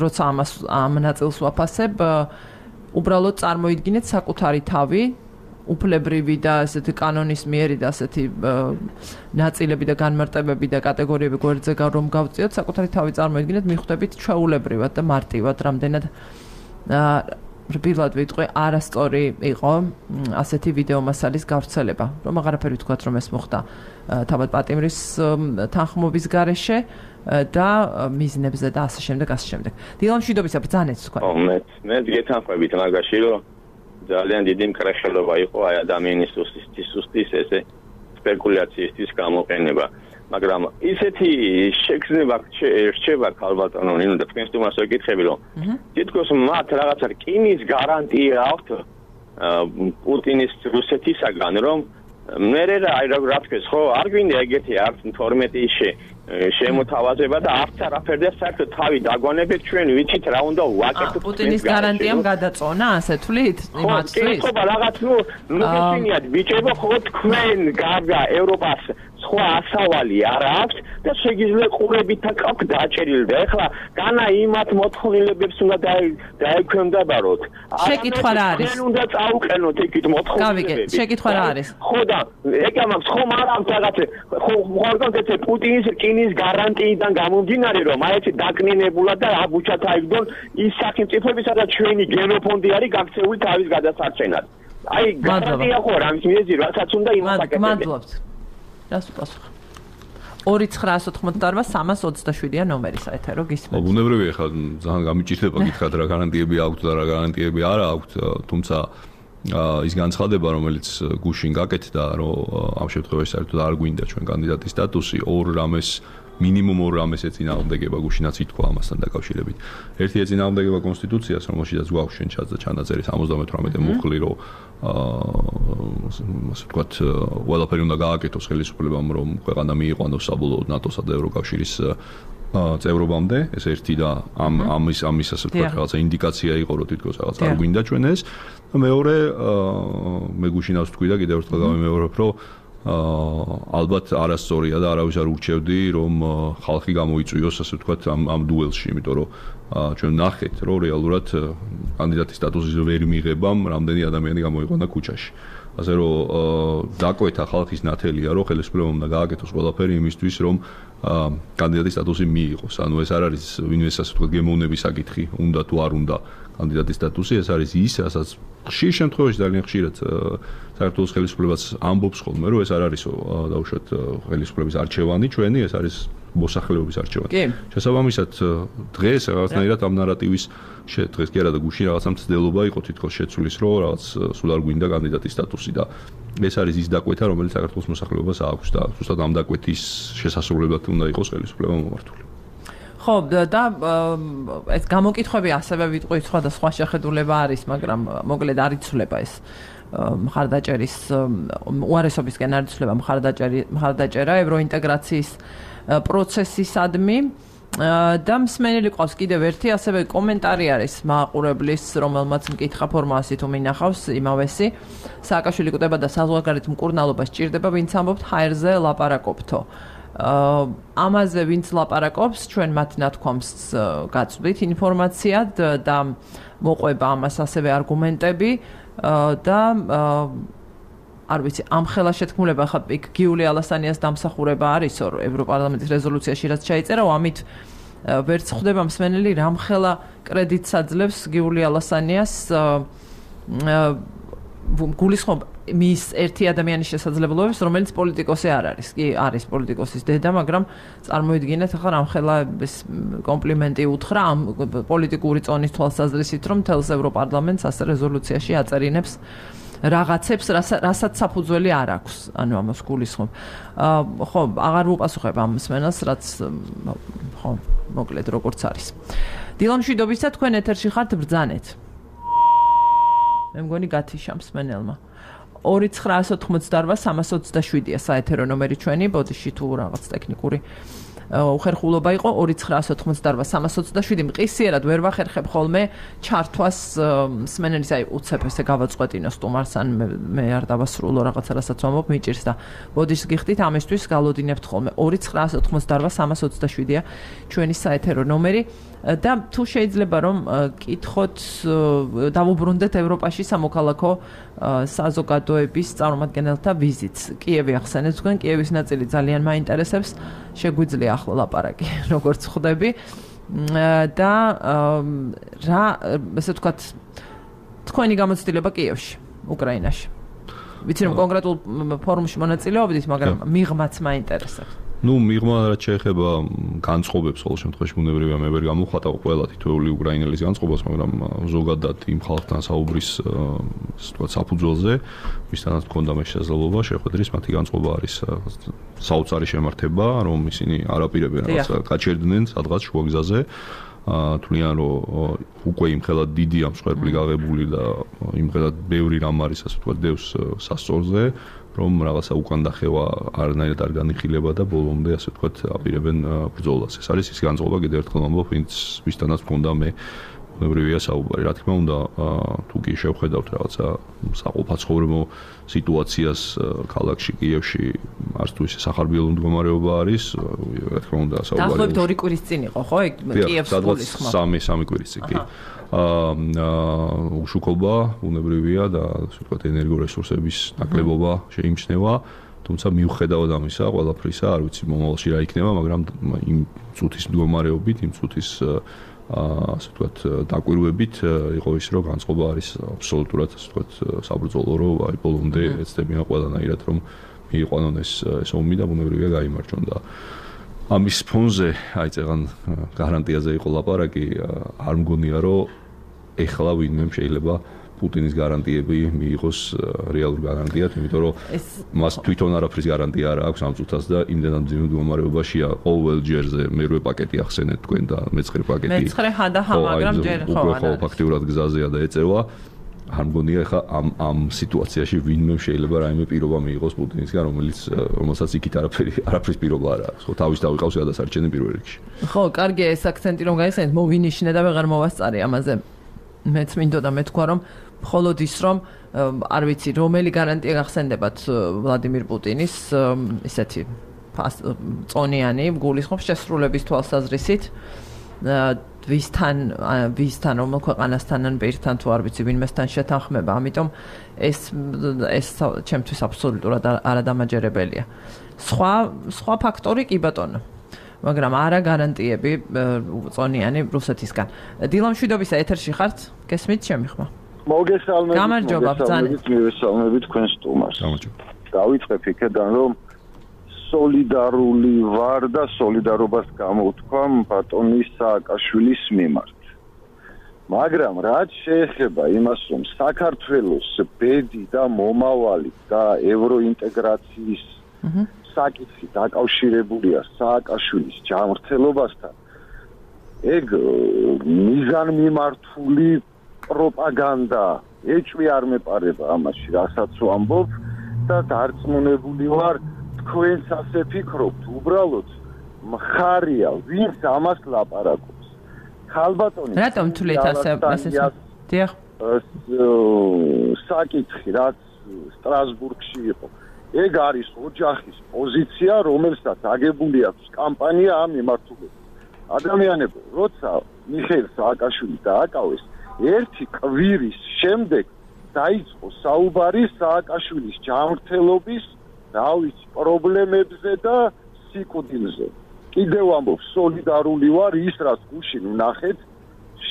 როცა ამ ნაწილს ვაფასებ უბრალოდ წარმოიდგინეთ საკუთარი თავი უფლებრივი და ასეთი კანონის მიერი და ასეთი ნაწილები და განმარტებები და კატეგორიები გვერდზე რომ გავწიოთ საკუთარი თავი წარმოიდგინეთ მიხვდებით ჩვეულებრივად და მარტივად რამდენად რბილად ვიტყვი არასწორი იყო ასეთი ვიდეო მასალის გავრცელება რომ აღარაფერი ვთქვათ რომ ეს მოხდა თავად პატიმრის თანხმობის გარეშე და მიზნებზე და ასე შემდეგ დილა მშვიდობისა ბრძანეთ თქვა მე გეთანხმებით მაგაში რომ ძალიან დიდი მკრეხელობა იყო აი ადამიანის სუსტის ესე სპეკულაციისთვის გამოყენება მაგრამ ისეთი შეგრძნება რჩება ქალბატონო ნინო და თქვენს თუმას ვეკითხები რომ თითქოს მათ რაღაცა რკინის გარანტია აქვთ პუტინის რუსეთისაგან რომ მე რა თქვენ ხო არ გვინდა ეგეთი არც 12-ის შემოთავაზება და არც არაფერ და საერთოდ თავი დაგვანებეთ ჩვენ ვიცით რა უნდა ვაკეთოთ პუტინის გარანტიამ გადაწონა ასე თვლით იმათთვის ხო რაღაც ნუ მოგეცინიათ ბიჭებო ხო თქვენ გარდა ევროპას სხვა ასავალი არ აქვს და შეგიძლია ყურებით აკავთ დაჭერილი და ეხლა განა იმათ მოთხოვნილებებს უნდა დაექვემდებაროთ შეკითხვა რა არის ჩვენ უნდა წაუყენოთ ეგეთ მოთხოვნილებებს შეკითხვა რა არის ხო და ეგ ამას ხომ არ აქვს რაღაცა ხო ხორგონდეთ პუტინის რკინის გარანტიიდან გამომდინარე რომ აი ეს დაკნინებულად და აბუჩათ აიგდონ ის სახელმწიფოები სადაც ჩვენი გენოფონდი არის გაქცეული თავის გადასარჩენად აი გარანტია ხო რამის მიზეზი რასაც უნდა იმას აკეთებდეს მადლობთ რას უპასუხო 2988327-ია ნომერი საეთერო გისმენთ. ბუნებრივია ხა ძალიან გამიჭირდება გითხრათ რა გარანტიები აქვს და რა გარანტიები არ აქვს, თუმცა ის განცხადება რომელიც გუშინ გაკეთდა რომ ამ შემთხვევაში საერთოდ არ გვინდა ჩვენ კანდიდატის სტატუსი მინიმუმ ორ რამეს ეწინააღმდეგება გუშინაც ითქვა ამასთან დაკავშირებით. ერთი ეწინააღმდეგება კონსტიტუციას, რომელშიც გვაქვს ჩვენ ჩანაწერი 78 მუხლი, რომ ასე ვთქვათ, ყველაფერი უნდა გააკეთოს ხელისუფლებამ, რომ ქვეყანა მიიყვანოს საბოლოოდ ნატოსა და ევროკავშირის წევრობამდე, ეს ერთი და ამის ასე ვთქვათ, რაღაცა ინდიკაცია იყო, რომ თითქოს რაღაც არ გვინდა ჩვენ ეს. და მეორე, მე გუშინაც ვთქვი და კიდევ ერთხელ გავიმეორებ, რომ ალბათ არასწორია და არავის არ ურჩევდი რომ ხალხი გამოიწვიოს ასე ვთქვათ ამ დუელში, იმიტომ რომ ჩვენ ნახეთ რომ რეალურად კანდიდატის სტატუსის ვერ მიღებამ რამდენი ადამიანი გამოიყვანა ქუჩაში. ასე რომ დაკვეთა ხალხის ნათელია რომ ხელისუფლებამ უნდა გააკეთოს ყველაფერი იმისთვის რომ კანდიდატის სტატუსი მიიღოს. ანუ ეს არ არის ვინმეს ასე ვთქვათ გემოვნების საკითხი, უნდა თუ არ უნდა კანდიდატის სტატუსი, ეს არის ის, რასაც ხშირ შემთხვევაში ძალიან ხშირად საქართველოს ხელისუფლებას ამბობს ხოლმე, რომ ეს არ არისო დაუშვათ ხელისუფლების არჩევანი ჩვენი, ეს არის მოსახლეობის არჩევანი. შესაბამისად დღეს რაღაცნაირად ამ ნარატივის დღეს კი არა და გუშინ რაღაცა მცდელობა იყო თითქოს შეცვლის, რომ რაღაც სულ არ გვინდა კანდიდატის სტატუსი და ეს არის ის დაკვეთა, რომელიც საქართველოს მოსახლეობას აქვს და ზუსტად ამ დაკვეთის შესასრულებლად უნდა იყოს ხელისუფლება მომართული. ხო და ეს გამოკითხვები ასევე ვიტყვით სხვადასხვა შეხედულება არის, მაგრამ მოკლედ არ იცვლება ეს მხარდაჭერის უარესობისკენ არ იცვლება მხარდაჭერა ევროინტეგრაციის პროცესისადმი და მსმენელი ყავს კიდევ ერთი ასევე კომენტარი არის მაყურებლის, რომელმაც მკითხა ფორმაში თუ მინახავს იმავესი სააკაშვილი კვდება და საზღვარგარეთ მკურნალობა სჭირდება, ვინც ამბობთ ჰაერზე ლაპარაკობთო. ამაზე ვინც ლაპარაკობს, ჩვენ მათ ნათქვამს გაწვდით ინფორმაციად და მოყვება ამას ასევე არგუმენტები და არ ვიცი, ამ ხელა შეთქმულება ხა იქ გიული ალასანიას დამსახურება არის ევროპარლამენტის რეზოლუციაში რაც ჩაიწერა, ამით ვერც ხვდება მსმენელი რამ ხელა კრედიტს აძლევს გიული ალასანიას გულისხმობ მის ერთი ადამიანის შესაძლებლობებს, რომელიც პოლიტიკოსი არ არის. კი, არის პოლიტიკოსის დედა, მაგრამ წარმოიდგინეთ ახლა რამხელა ეს კომპლიმენტი უთხრა ამ პოლიტიკური წონის თვალსაზრისით, რომ თელს ევროპარლამენტს ასე რეზოლუციაში აწერინებს რაღაცებს, რასაც საფუძველი არ აქვს. ანუ ამას გულისხმობ. ხო, აღარ ვუპასუხებ ამ მსმენელს, რაც ხო, მოკლედ როგორც არის. დილამშვიდობისა, თქვენ ეთერში ხართ ბრძანეთ. მე მგონი გათიშა მსმენელმა. 2988327-ია საეთერო ნომერი ჩვენი, ბოდიში თუ რაღაც ტექნიკური უხერხულობა იყო 2988327 მყისიერად ვერ ვახერხებ ხოლმე ჩართვას მსმენელის აი უცებ ესე გავაწყვეტინო სტუმარს ან მე არ დავასრულო რაღაცა რასაც ვამბობ მიჭირს და ბოდიშს გიხდით ამისთვის გალოდინებთ ხოლმე 2988327-ია ჩვენი საეთერო ნომერი და თუ შეიძლება რომ კითხოთ დავუბრუნდეთ ევროპაში სამოქალაქო საზოგადოების წარმომადგენელთა ვიზიტს. კიევი ახსენეთ თქვენ, კიევის ნაწილი ძალიან მაინტერესებს, შეგვიძლია ახლა ლაპარაკი, როგორც ხვდები. და რა, ესე ვთქვათ, თქვენი გამოცდილება კიევში, უკრაინაში. ვიცი რომ კონკრეტულ ფორუმში მონაწილეობდით, მაგრამ მიღმაც მაინტერესებს. Ну, მიღმა რაც შეეხება განწყობებს ყოველ შემთხვევაში ბუნებრივია მე ვერ გამოვხატა ყველა თითოეული უკრაინელის განწყობას, მაგრამ ზოგადად იმ ხალხთან საუბრის ვთქვათ საფუძველზე, ვისთანაც მქონდა მე შესაძლებლობა შეხვედრის მათი განწყობა არის საოცარი შემართება, რომ ისინი არაპირებენ რაღაცა გაჩერდნენ სადღაც შუაგზაზე. თვლიან რომ უკვე იმხელა დიდი ამ მსხვერპლი გაღებული და იმხელა ბევრი რამ არის ასე ვთქვათ დევს სასწორზე რომ რაღაცა უკან დახევა არანაირად არ განიხილება და ბოლომდე ასე ვთქვათ აპირებენ ბრძოლას. ეს არის ის განწყობა კიდევ ერთხელ ვამბობ, ვისთანაც მქონდა მე ბუნებრივია საუბარი. რა თქმა უნდა, თუ კი შევხედავთ რაღაცა საყოფაცხოვრებო სიტუაციას ქალაქში კიევში, არც თუ ისე სახარბიელო მდგომარეობა არის, რა თქმა უნდა, საუბარი. დაახლოებით 2 კვირის წინ იყო, ხო? კიევს გულისხმობ. 3 კვირის წინ კი. უშუქობა ბუნებრივია და ასე ვთქვათ ენერგორესურსების ნაკლებობა შეიმჩნევა, თუმცა მიუხედავად ამისა, ყველაფრისა, არ ვიცი მომავალში რა იქნება, მაგრამ იმ წუთის მდგომარეობით, იმ წუთის ასე ვთქვათ დაკვირვებით იყო ის რომ განწყობა არის აბსოლუტურად ასე ვთქვათ საბრძოლო რომ აი ბოლომდე ეცდებიან ყველანაირად რომ მიიყვანონ ეს ომი და ბუნებრივია გაიმარჯვონ და ამის ფონზე აი წეგან გარანტიაზე იყო ლაპარაკი არ მგონია რომ ეხლა ვინმე შეიძლება პუტინის გარანტიები მიიღოს რეალურ გარანტიად, იმიტომ რომ მას თვითონ არაფრის გარანტია არ აქვს ამ წუთას და იმდენად მძიმე მდგომარეობაშია ყოველ ჯერზე მერვე პაკეტი ახსენეთ თქვენ და მეცხრე პაკეტი. მეცხრე ხანდახა, მაგრამ ჯერ ხო არა. ფაქტიურად გზაზეა და ეწევა. არ მგონია ხა ამ სიტუაციაში ვინმე შეიძლება რაიმე პირობა მიიღოს პუტინისგან, რომელსაც იქით არაფრის პირობა არ აქვს. ხო, თავის დავიყავს გადასარჩენი პირველ რიგში. ხო, კარგია ეს აქცენტი რომ გაიხსენეთ, მოვინიშნე და ვეღარ მოვასწარი ამაზე. მეც მინდოდა მეთქვა რომ მხოლოდ ის რომ არ ვიცი რომელი გარანტია გახსენდებათ ვლადიმირ პუტინის ისეთი წონიანი გულისხმობს შესრულების თვალსაზრისით ვისთან რომელ ქვეყანასთან ან პირთან თუ არ ვიცი ვინმესთან შეთანხმება, ამიტომ ეს ჩემთვის აბსოლუტურად არადამაჯერებელია. სხვა ფაქტორი კი ბატონო. მაგრამ არა გარანტიები წონიანი რუსეთისგან. დილამშვიდობისა ეთერში ხართ? გესმით ჩემი ხმა? მოგესალმებით. გამარჯობა, ბრძანეთ. მივესალმებით თქვენ სტუმარს. გამარჯობა. დავიწყებ იქედან რომ სოლიდარული ვარ და სოლიდარობას გამოვთქვა ბატონის სააკაშვილის მიმართ. მაგრამ რაც შეეხება იმას რომ საქართველოს ბედი და მომავალი და ევროინტეგრაციის საკითხი დაკავშირებულია სააკაშვილის ჯანმრთელობასთან, ეგ მიზანმიმართული პროპაგანდა ეჭვი არ მეპარება ამაში, რასაც ვამბობ და დარწმუნებული ვარ თქვენც ასე ფიქრობთ, უბრალოდ მხარია ვინც ამას ლაპარაკობს. ქალბატონი რატომ თვლით ასე დიახ საკითხი რაც სტრასბურგში იყო ეგ არის ოჯახის პოზიცია, რომელსაც აგებული აქვს კამპანია ამ მიმართულებით. ადამიანებო, როცა მიხეილ სააკაშვილი დააკავეს, ერთი კვირის შემდეგ დაიწყო საუბარი სააკაშვილის ჯანმრთელობის, პრობლემებზე და სიკვდილზე. კიდევ ამბობ, სოლიდარული ვარ ის, რაც გუშინ ვნახეთ,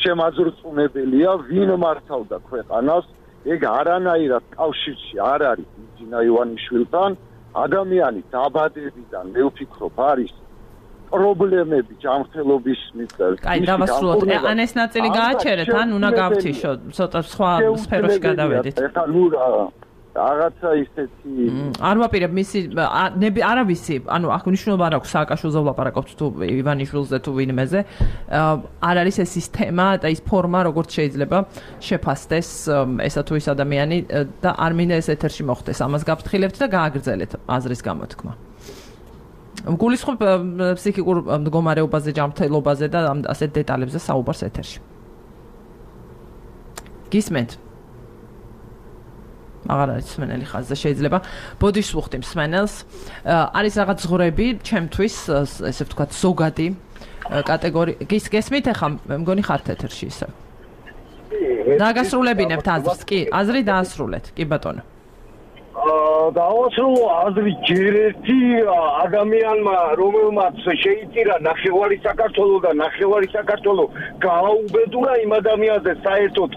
შემაძრწუნებელია, ვინ მართავდა ქვეყანას, ეგ არანაირად კავშირში არ არის იძინა ივანიშვილთან, ადამიანი დაბადებიდან მე ვფიქრობ არის პრობლემები ჯანმრთელობის მისდევ. კაი, დავასრულოთ. ან ეს ნაწილი გააჩერეთ, ან უნდა გავთიშოთ, ცოტა სხვა სფეროში გადავედით. ეხლა ნუ რაღაცა ისეთი არ ვაპირებ მისი არავისი, ანუ აქ მნიშვნელობა არ აქვს სააკაშვილზე ვლაპარაკობთ თუ ივანიშვილზე თუ ვინმეზე. არ არის ეს სისტემა და ის ფორმა, როგორც შეიძლება შეფასდეს ესა თუ ის ადამიანი და არ მინდა ეს ეთერში მოხდეს. ამას გაფრთხილებთ და გააგრძელეთ აზრის გამოთქმა. გულისხმობ ფსიქიკურ მდგომარეობაზე, ჯანმრთელობაზე და ასეთ დეტალებზე საუბარს ეთერში. გისმენთ? აღარ არის მსმენელი ხაზზე შეიძლება. ბოდიშს ვუხდი მსმენელს. არის რაღაც ზღვრები ჩემთვის, ესე ვთქვათ, ზოგადი კატეგორია. გესმით ახლა, მგონი ხართ ეთერში ისე. დაგასრულებინებთ აზრს, კი, აზრი დაასრულეთ, კი ბატონო. დავასრულო აზრი ჯერ ერთი ადამიანმა, რომელმაც შეიწირა ნახევარი საქართველო და ნახევარი საქართველო გააუბედურა იმ ადამიანზე საერთოდ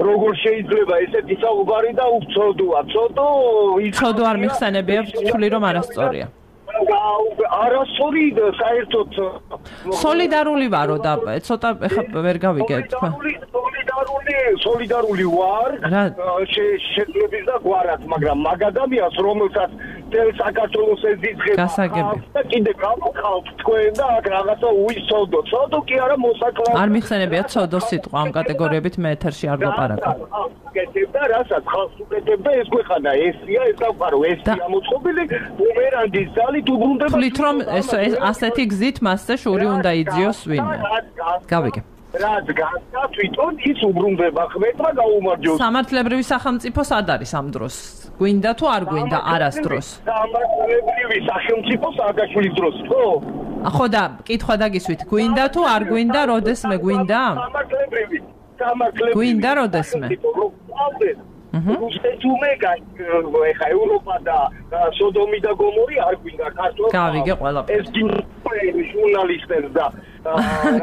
როგორ შეიძლება ესეთი საუბარი და უცოდოა. ცოდო არ მიხსენებია, ვთვლი რომ არასწორია. არასწორი საერთოდ სოლიდარული ვარო და ცოტა ეხლა ვერ გავიგებ თქვა. სოლიდარული ვარ შეძლების და გვარად, მაგრამ მაგ ადამიანს, რომელსაც თელ საქართველოს ეძიძღება და კიდე გავხალთ თქვენ და აქ რაღაცა უიცოდო. ცოდო კი არა მოსაკლავ. არ მიხსენებია ცოდო სიტყვა ამ კატეგორიებით მე ეთერში არ ვლაპარაკობ. უკეთებდა, რასაც ხალხს უკეთებდა ეს ქვეყანა, ესია, ეს დავყარო, ესია მოწყობილი ბუმერანგის ძალით უბრუნდება. თვლით რომ ასეთი გზით მასზე შური უნდა იძიოს ვინმე. გავიგე. რაც გასა თვითონ ის უბრუნდება ხმეტმა გაუმარჯოს. სამართლებრივი სახელმწიფო სად არის ამ დროს? გვინდა თუ არ გვინდა არასდროს? სამართლებრივი სახელმწიფო სააკაშვილის დროს, ხო? ხო და კითხვა დაგისვით, გვინდა თუ არ გვინდა, როდესმე გვინდა? სამართლებრივი. გვინდა როდესმე? რუსეთუმე ეხა ევროპა და სოდომი და გომორი არ გვინდა ქართლო. გავიგე ყველაფერს. ეს ჟურნალისტებს და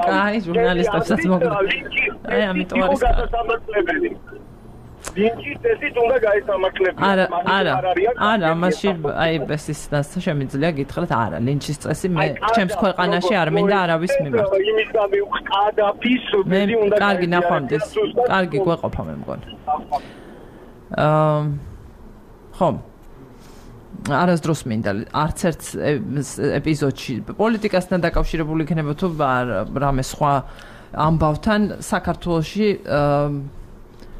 კაი, ჟურნალისტებსაც მოგდა. აი, ამიტომ არის სამართლებელი. ლინჩის წესით უნდა გაესამართლებინა. არა, მაშინ აი ეს შემიძლია გითხრათ, არა, ლინჩის წესი მე ჩემს ქვეყანაში არ მინდა არავის მიმართ. იმის გამივყადაფის ბედი უნდა კარგი ნახვამდის. კარგი გვეყოფა მე მგონი. ხომ არასდროს მინდა არც ერთ ეპიზოდში პოლიტიკასთან დაკავშირებული იქნება თუ რამე სხვა ამბავთან საქართველოში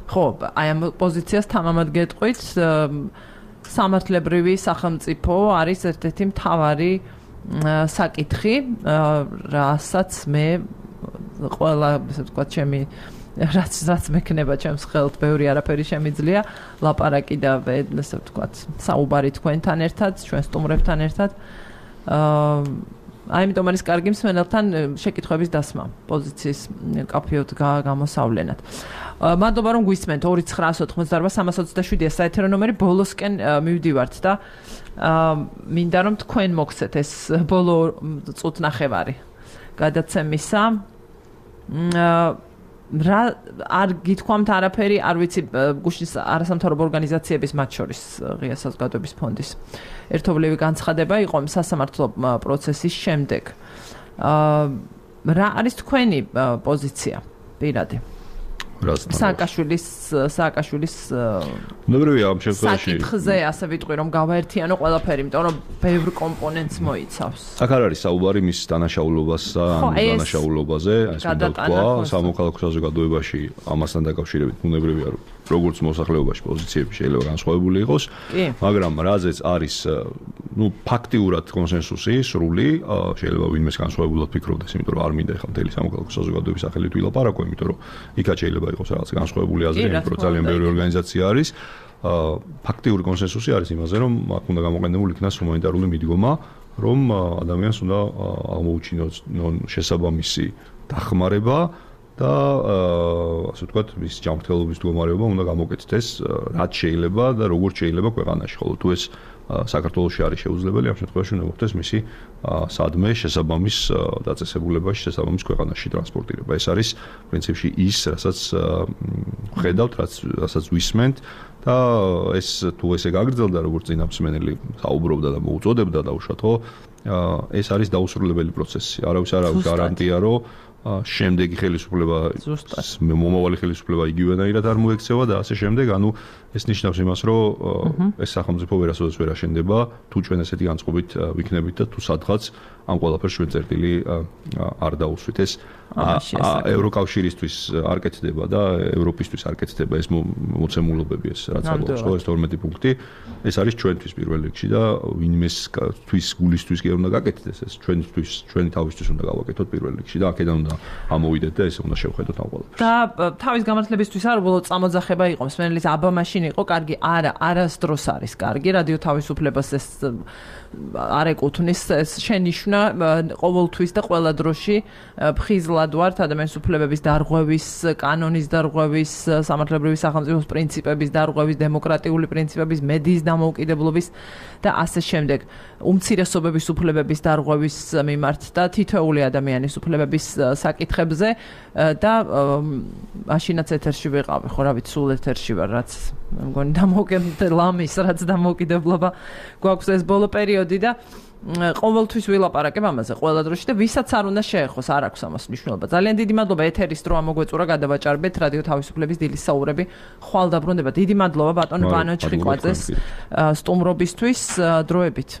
ხო აი ამ პოზიციას თამამად გეტყვით სამართლებრივი სახელმწიფო არის ერთ-ერთი მთავარი საკითხი რასაც მე ყველა ესე ვთქვათ ჩემი რაც მექნება ჩემს ხელთ ბევრი არაფერი შემიძლია ლაპარაკი და ესე ვთქვათ საუბარი თქვენთან ერთად ჩვენ სტუმრებთან ერთად აიმიტომ არის კარგი მსმენელთან შეკითხვების დასმა პოზიციის კაფეოთ გამოსავლენად მადლობა რომ გვისმენთ 2988 საეთერო ნომერი ბოლოსკენ მივდივართ და მინდა რომ თქვენ მოგცეთ ეს ბოლო წუთნახევარი გადაცემისა რა არ გითქვამთ არაფერი არ ვიცი გუშინ არასამთავრობო ორგანიზაციების მათ შორის ღია საზოგადოების ფონდის ერთობლივი განცხადება იყო სასამართლო პროცესის შემდეგ რა არის თქვენი პოზიცია პირადი სააკაშვილის ნებრივია ამ შემთხვევაში საკითხზე ასე ვიტყვი რომ გავაერთიანო ყველაფერი იმიტომ რომ ბევრ კომპონენტს მოიცავს აქ არ არის საუბარი მის დანაშაულობასა ან დანაშაულობაზე ეს მინდა თქვა სამოქალაქო საზოგადოებაში ამასთან დაკავშირებით ნებრივია რომ როგორც მოსახლეობაში პოზიციები შეიძლება განსხვავებული იყოს მაგრამ რაზეც არის ფაქტიურად კონსენსუსი სრული შეიძლება ვინმეს განსხვავებულად ფიქრობდეს, იმიტომ რომ არ მინდა ეხლა მთელი სამოქალაქო საზოგადოების სახელით ვილაპარაკო, იმიტომ რომ იქაც შეიძლება იყოს რაღაც განსხვავებული აზრი, იმიტომ რომ ძალიან ბევრი ორგანიზაცია არის. ფაქტიური კონსენსუსი არის იმაზე, რომ აქ უნდა გამოყენებული იქნას ჰუმანიტარული მიდგომა, რომ ადამიანს უნდა აღმოუჩინოს შესაბამისი დახმარება და ასე ვთქვათ, მის ჯანმრთელობის მდგომარეობა უნდა გამოკეთდეს, რაც შეიძლება და როგორც შეიძლება ქვეყანაში, ხოლო თუ ეს საქართველოში არის შეუძლებელი, ამ შემთხვევაში უნდა მოხდეს მისი სადმე შესაბამის დაწესებულებაში, შესაბამის ქვეყანაში ტრანსპორტირება. ეს არის პრინციპში ის, რასაც ხედავთ, რასაც ვისმენთ და ეს თუ ესე გაგრძელდა, როგორც წინა მსმენელი საუბრობდა და მოუწოდებდა დაუშვათ, ხო? ეს არის დაუსრულებელი პროცესი. არავის არ აქვს გარანტია, რომ შემდეგი ხელისუფლება მომავალი ხელისუფლება იგივენაირად არ მოექცევა და ასე შემდეგ, ანუ ეს ნიშნავს იმას, რომ ეს სახელმწიფო ვერასოდეს ვერ აშენდება, თუ ჩვენ ესეთი განწყობით ვიქნებით და თუ სადღაც ამ ყველაფერს ჩვენ წერტილი არ დაუსვით. ეს ევროკავშირისთვის არ კეთდება და ევროპისთვის არ კეთდება ეს მოცემულობები, ეს რაც არის, ხო, ეს 12 პუნქტი, ეს არის ჩვენთვის პირველ რიგში და ვინმესთვის გულისთვის კი უნდა გაკეთდეს, ეს ჩვენი თავისთვის უნდა გავაკეთოთ პირველ რიგში და აქედან უნდა ამოვიდეთ და ესე უნდა შევხედოთ ამ ყველაფერს. და თავის გამართლებისთვის არ უბრალოდ წამოძახება იყო, მსმენელის აბა მაშინ იყო კარგი, არასდროს არის კარგი, რადიო თავისუფლებას ეს არ ეკუთვნის, ეს შენიშვნა ყოველთვის და ყველა დროში ფხიზლად ვართ ადამიანის უფლებების დარღვევის, კანონის დარღვევის, სამართლებრივი სახელმწიფოს პრინციპების დარღვევის, დემოკრატიული პრინციპების, მედიის დამოუკიდებლობის და ასე შემდეგ. უმცირესობების უფლებების დარღვევის მიმართ და თითოეული ადამიანის უფლებების საკითხებზე და მაშინაც ეთერში ვიყავი, ხო, რა ვიცი, სულ ეთერში ვარ, რაც მე მგონი ლამის, რაც დამოუკიდებლობა გვაქვს ეს ბოლო პერიოდი და ყოველთვის ვილაპარაკებ ამაზე ყველა დროში და ვისაც არ უნდა შეეხოს, არ აქვს ამას მნიშვნელობა. ძალიან დიდი მადლობა ეთერის დრო ამოგვეწურა, გადავაჭარბეთ რადიო თავისუფლების დილის საუბრები ხვალ დაბრუნდება. დიდი მადლობა ბატონო ვანო ჩხიკვაძეს სტუმრობისთვის, დროებით.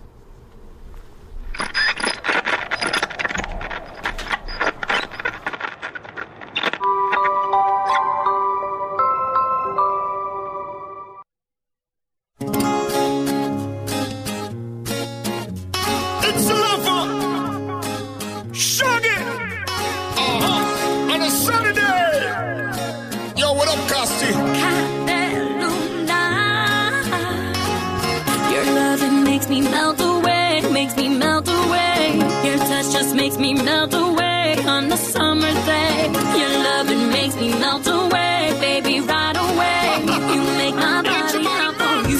Makes me melt away on the summer day. Your loving makes me melt away, baby, right away. You make my body hop on you.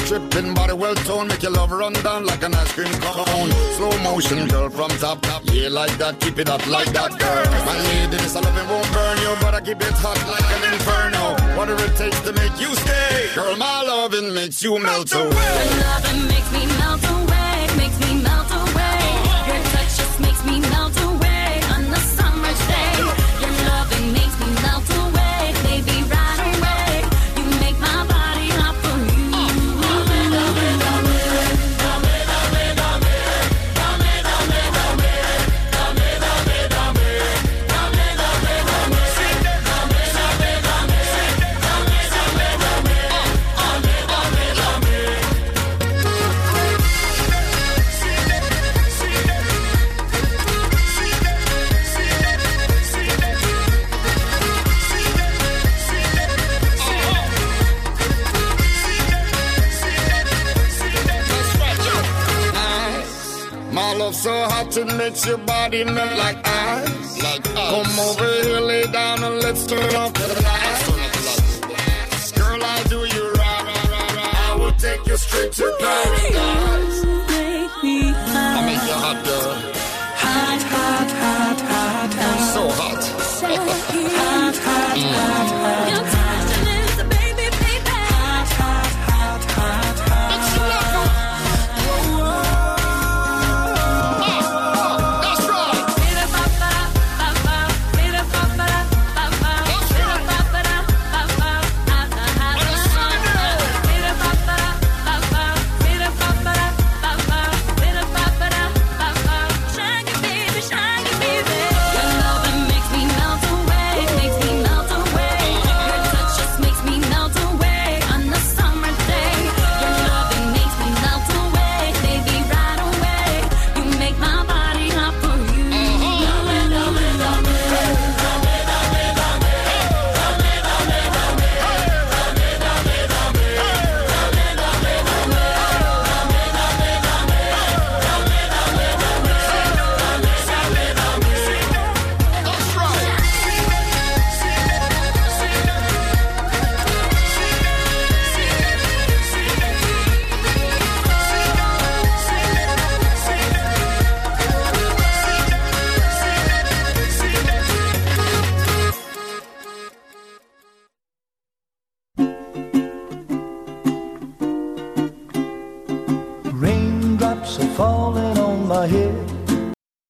Tripping body well toned, make your love run down like an ice cream cone. Slow motion, girl, from top, yeah, like that, keep it up like that, girl. My lady, this I love it won't burn you, but I keep it hot like an inferno. Whatever it takes to make you stay, girl, my loving makes you melt away. Your loving makes me melt away, makes me melt away. Your touch just makes me melt away on the summer's day. Your loving makes me melt away, baby, right away. You make my body hop for you. So hot it makes your body melt like ice. Come over here, lay down and let's turn off the lights. Girl, I'll do you right. I will take you straight to paradise.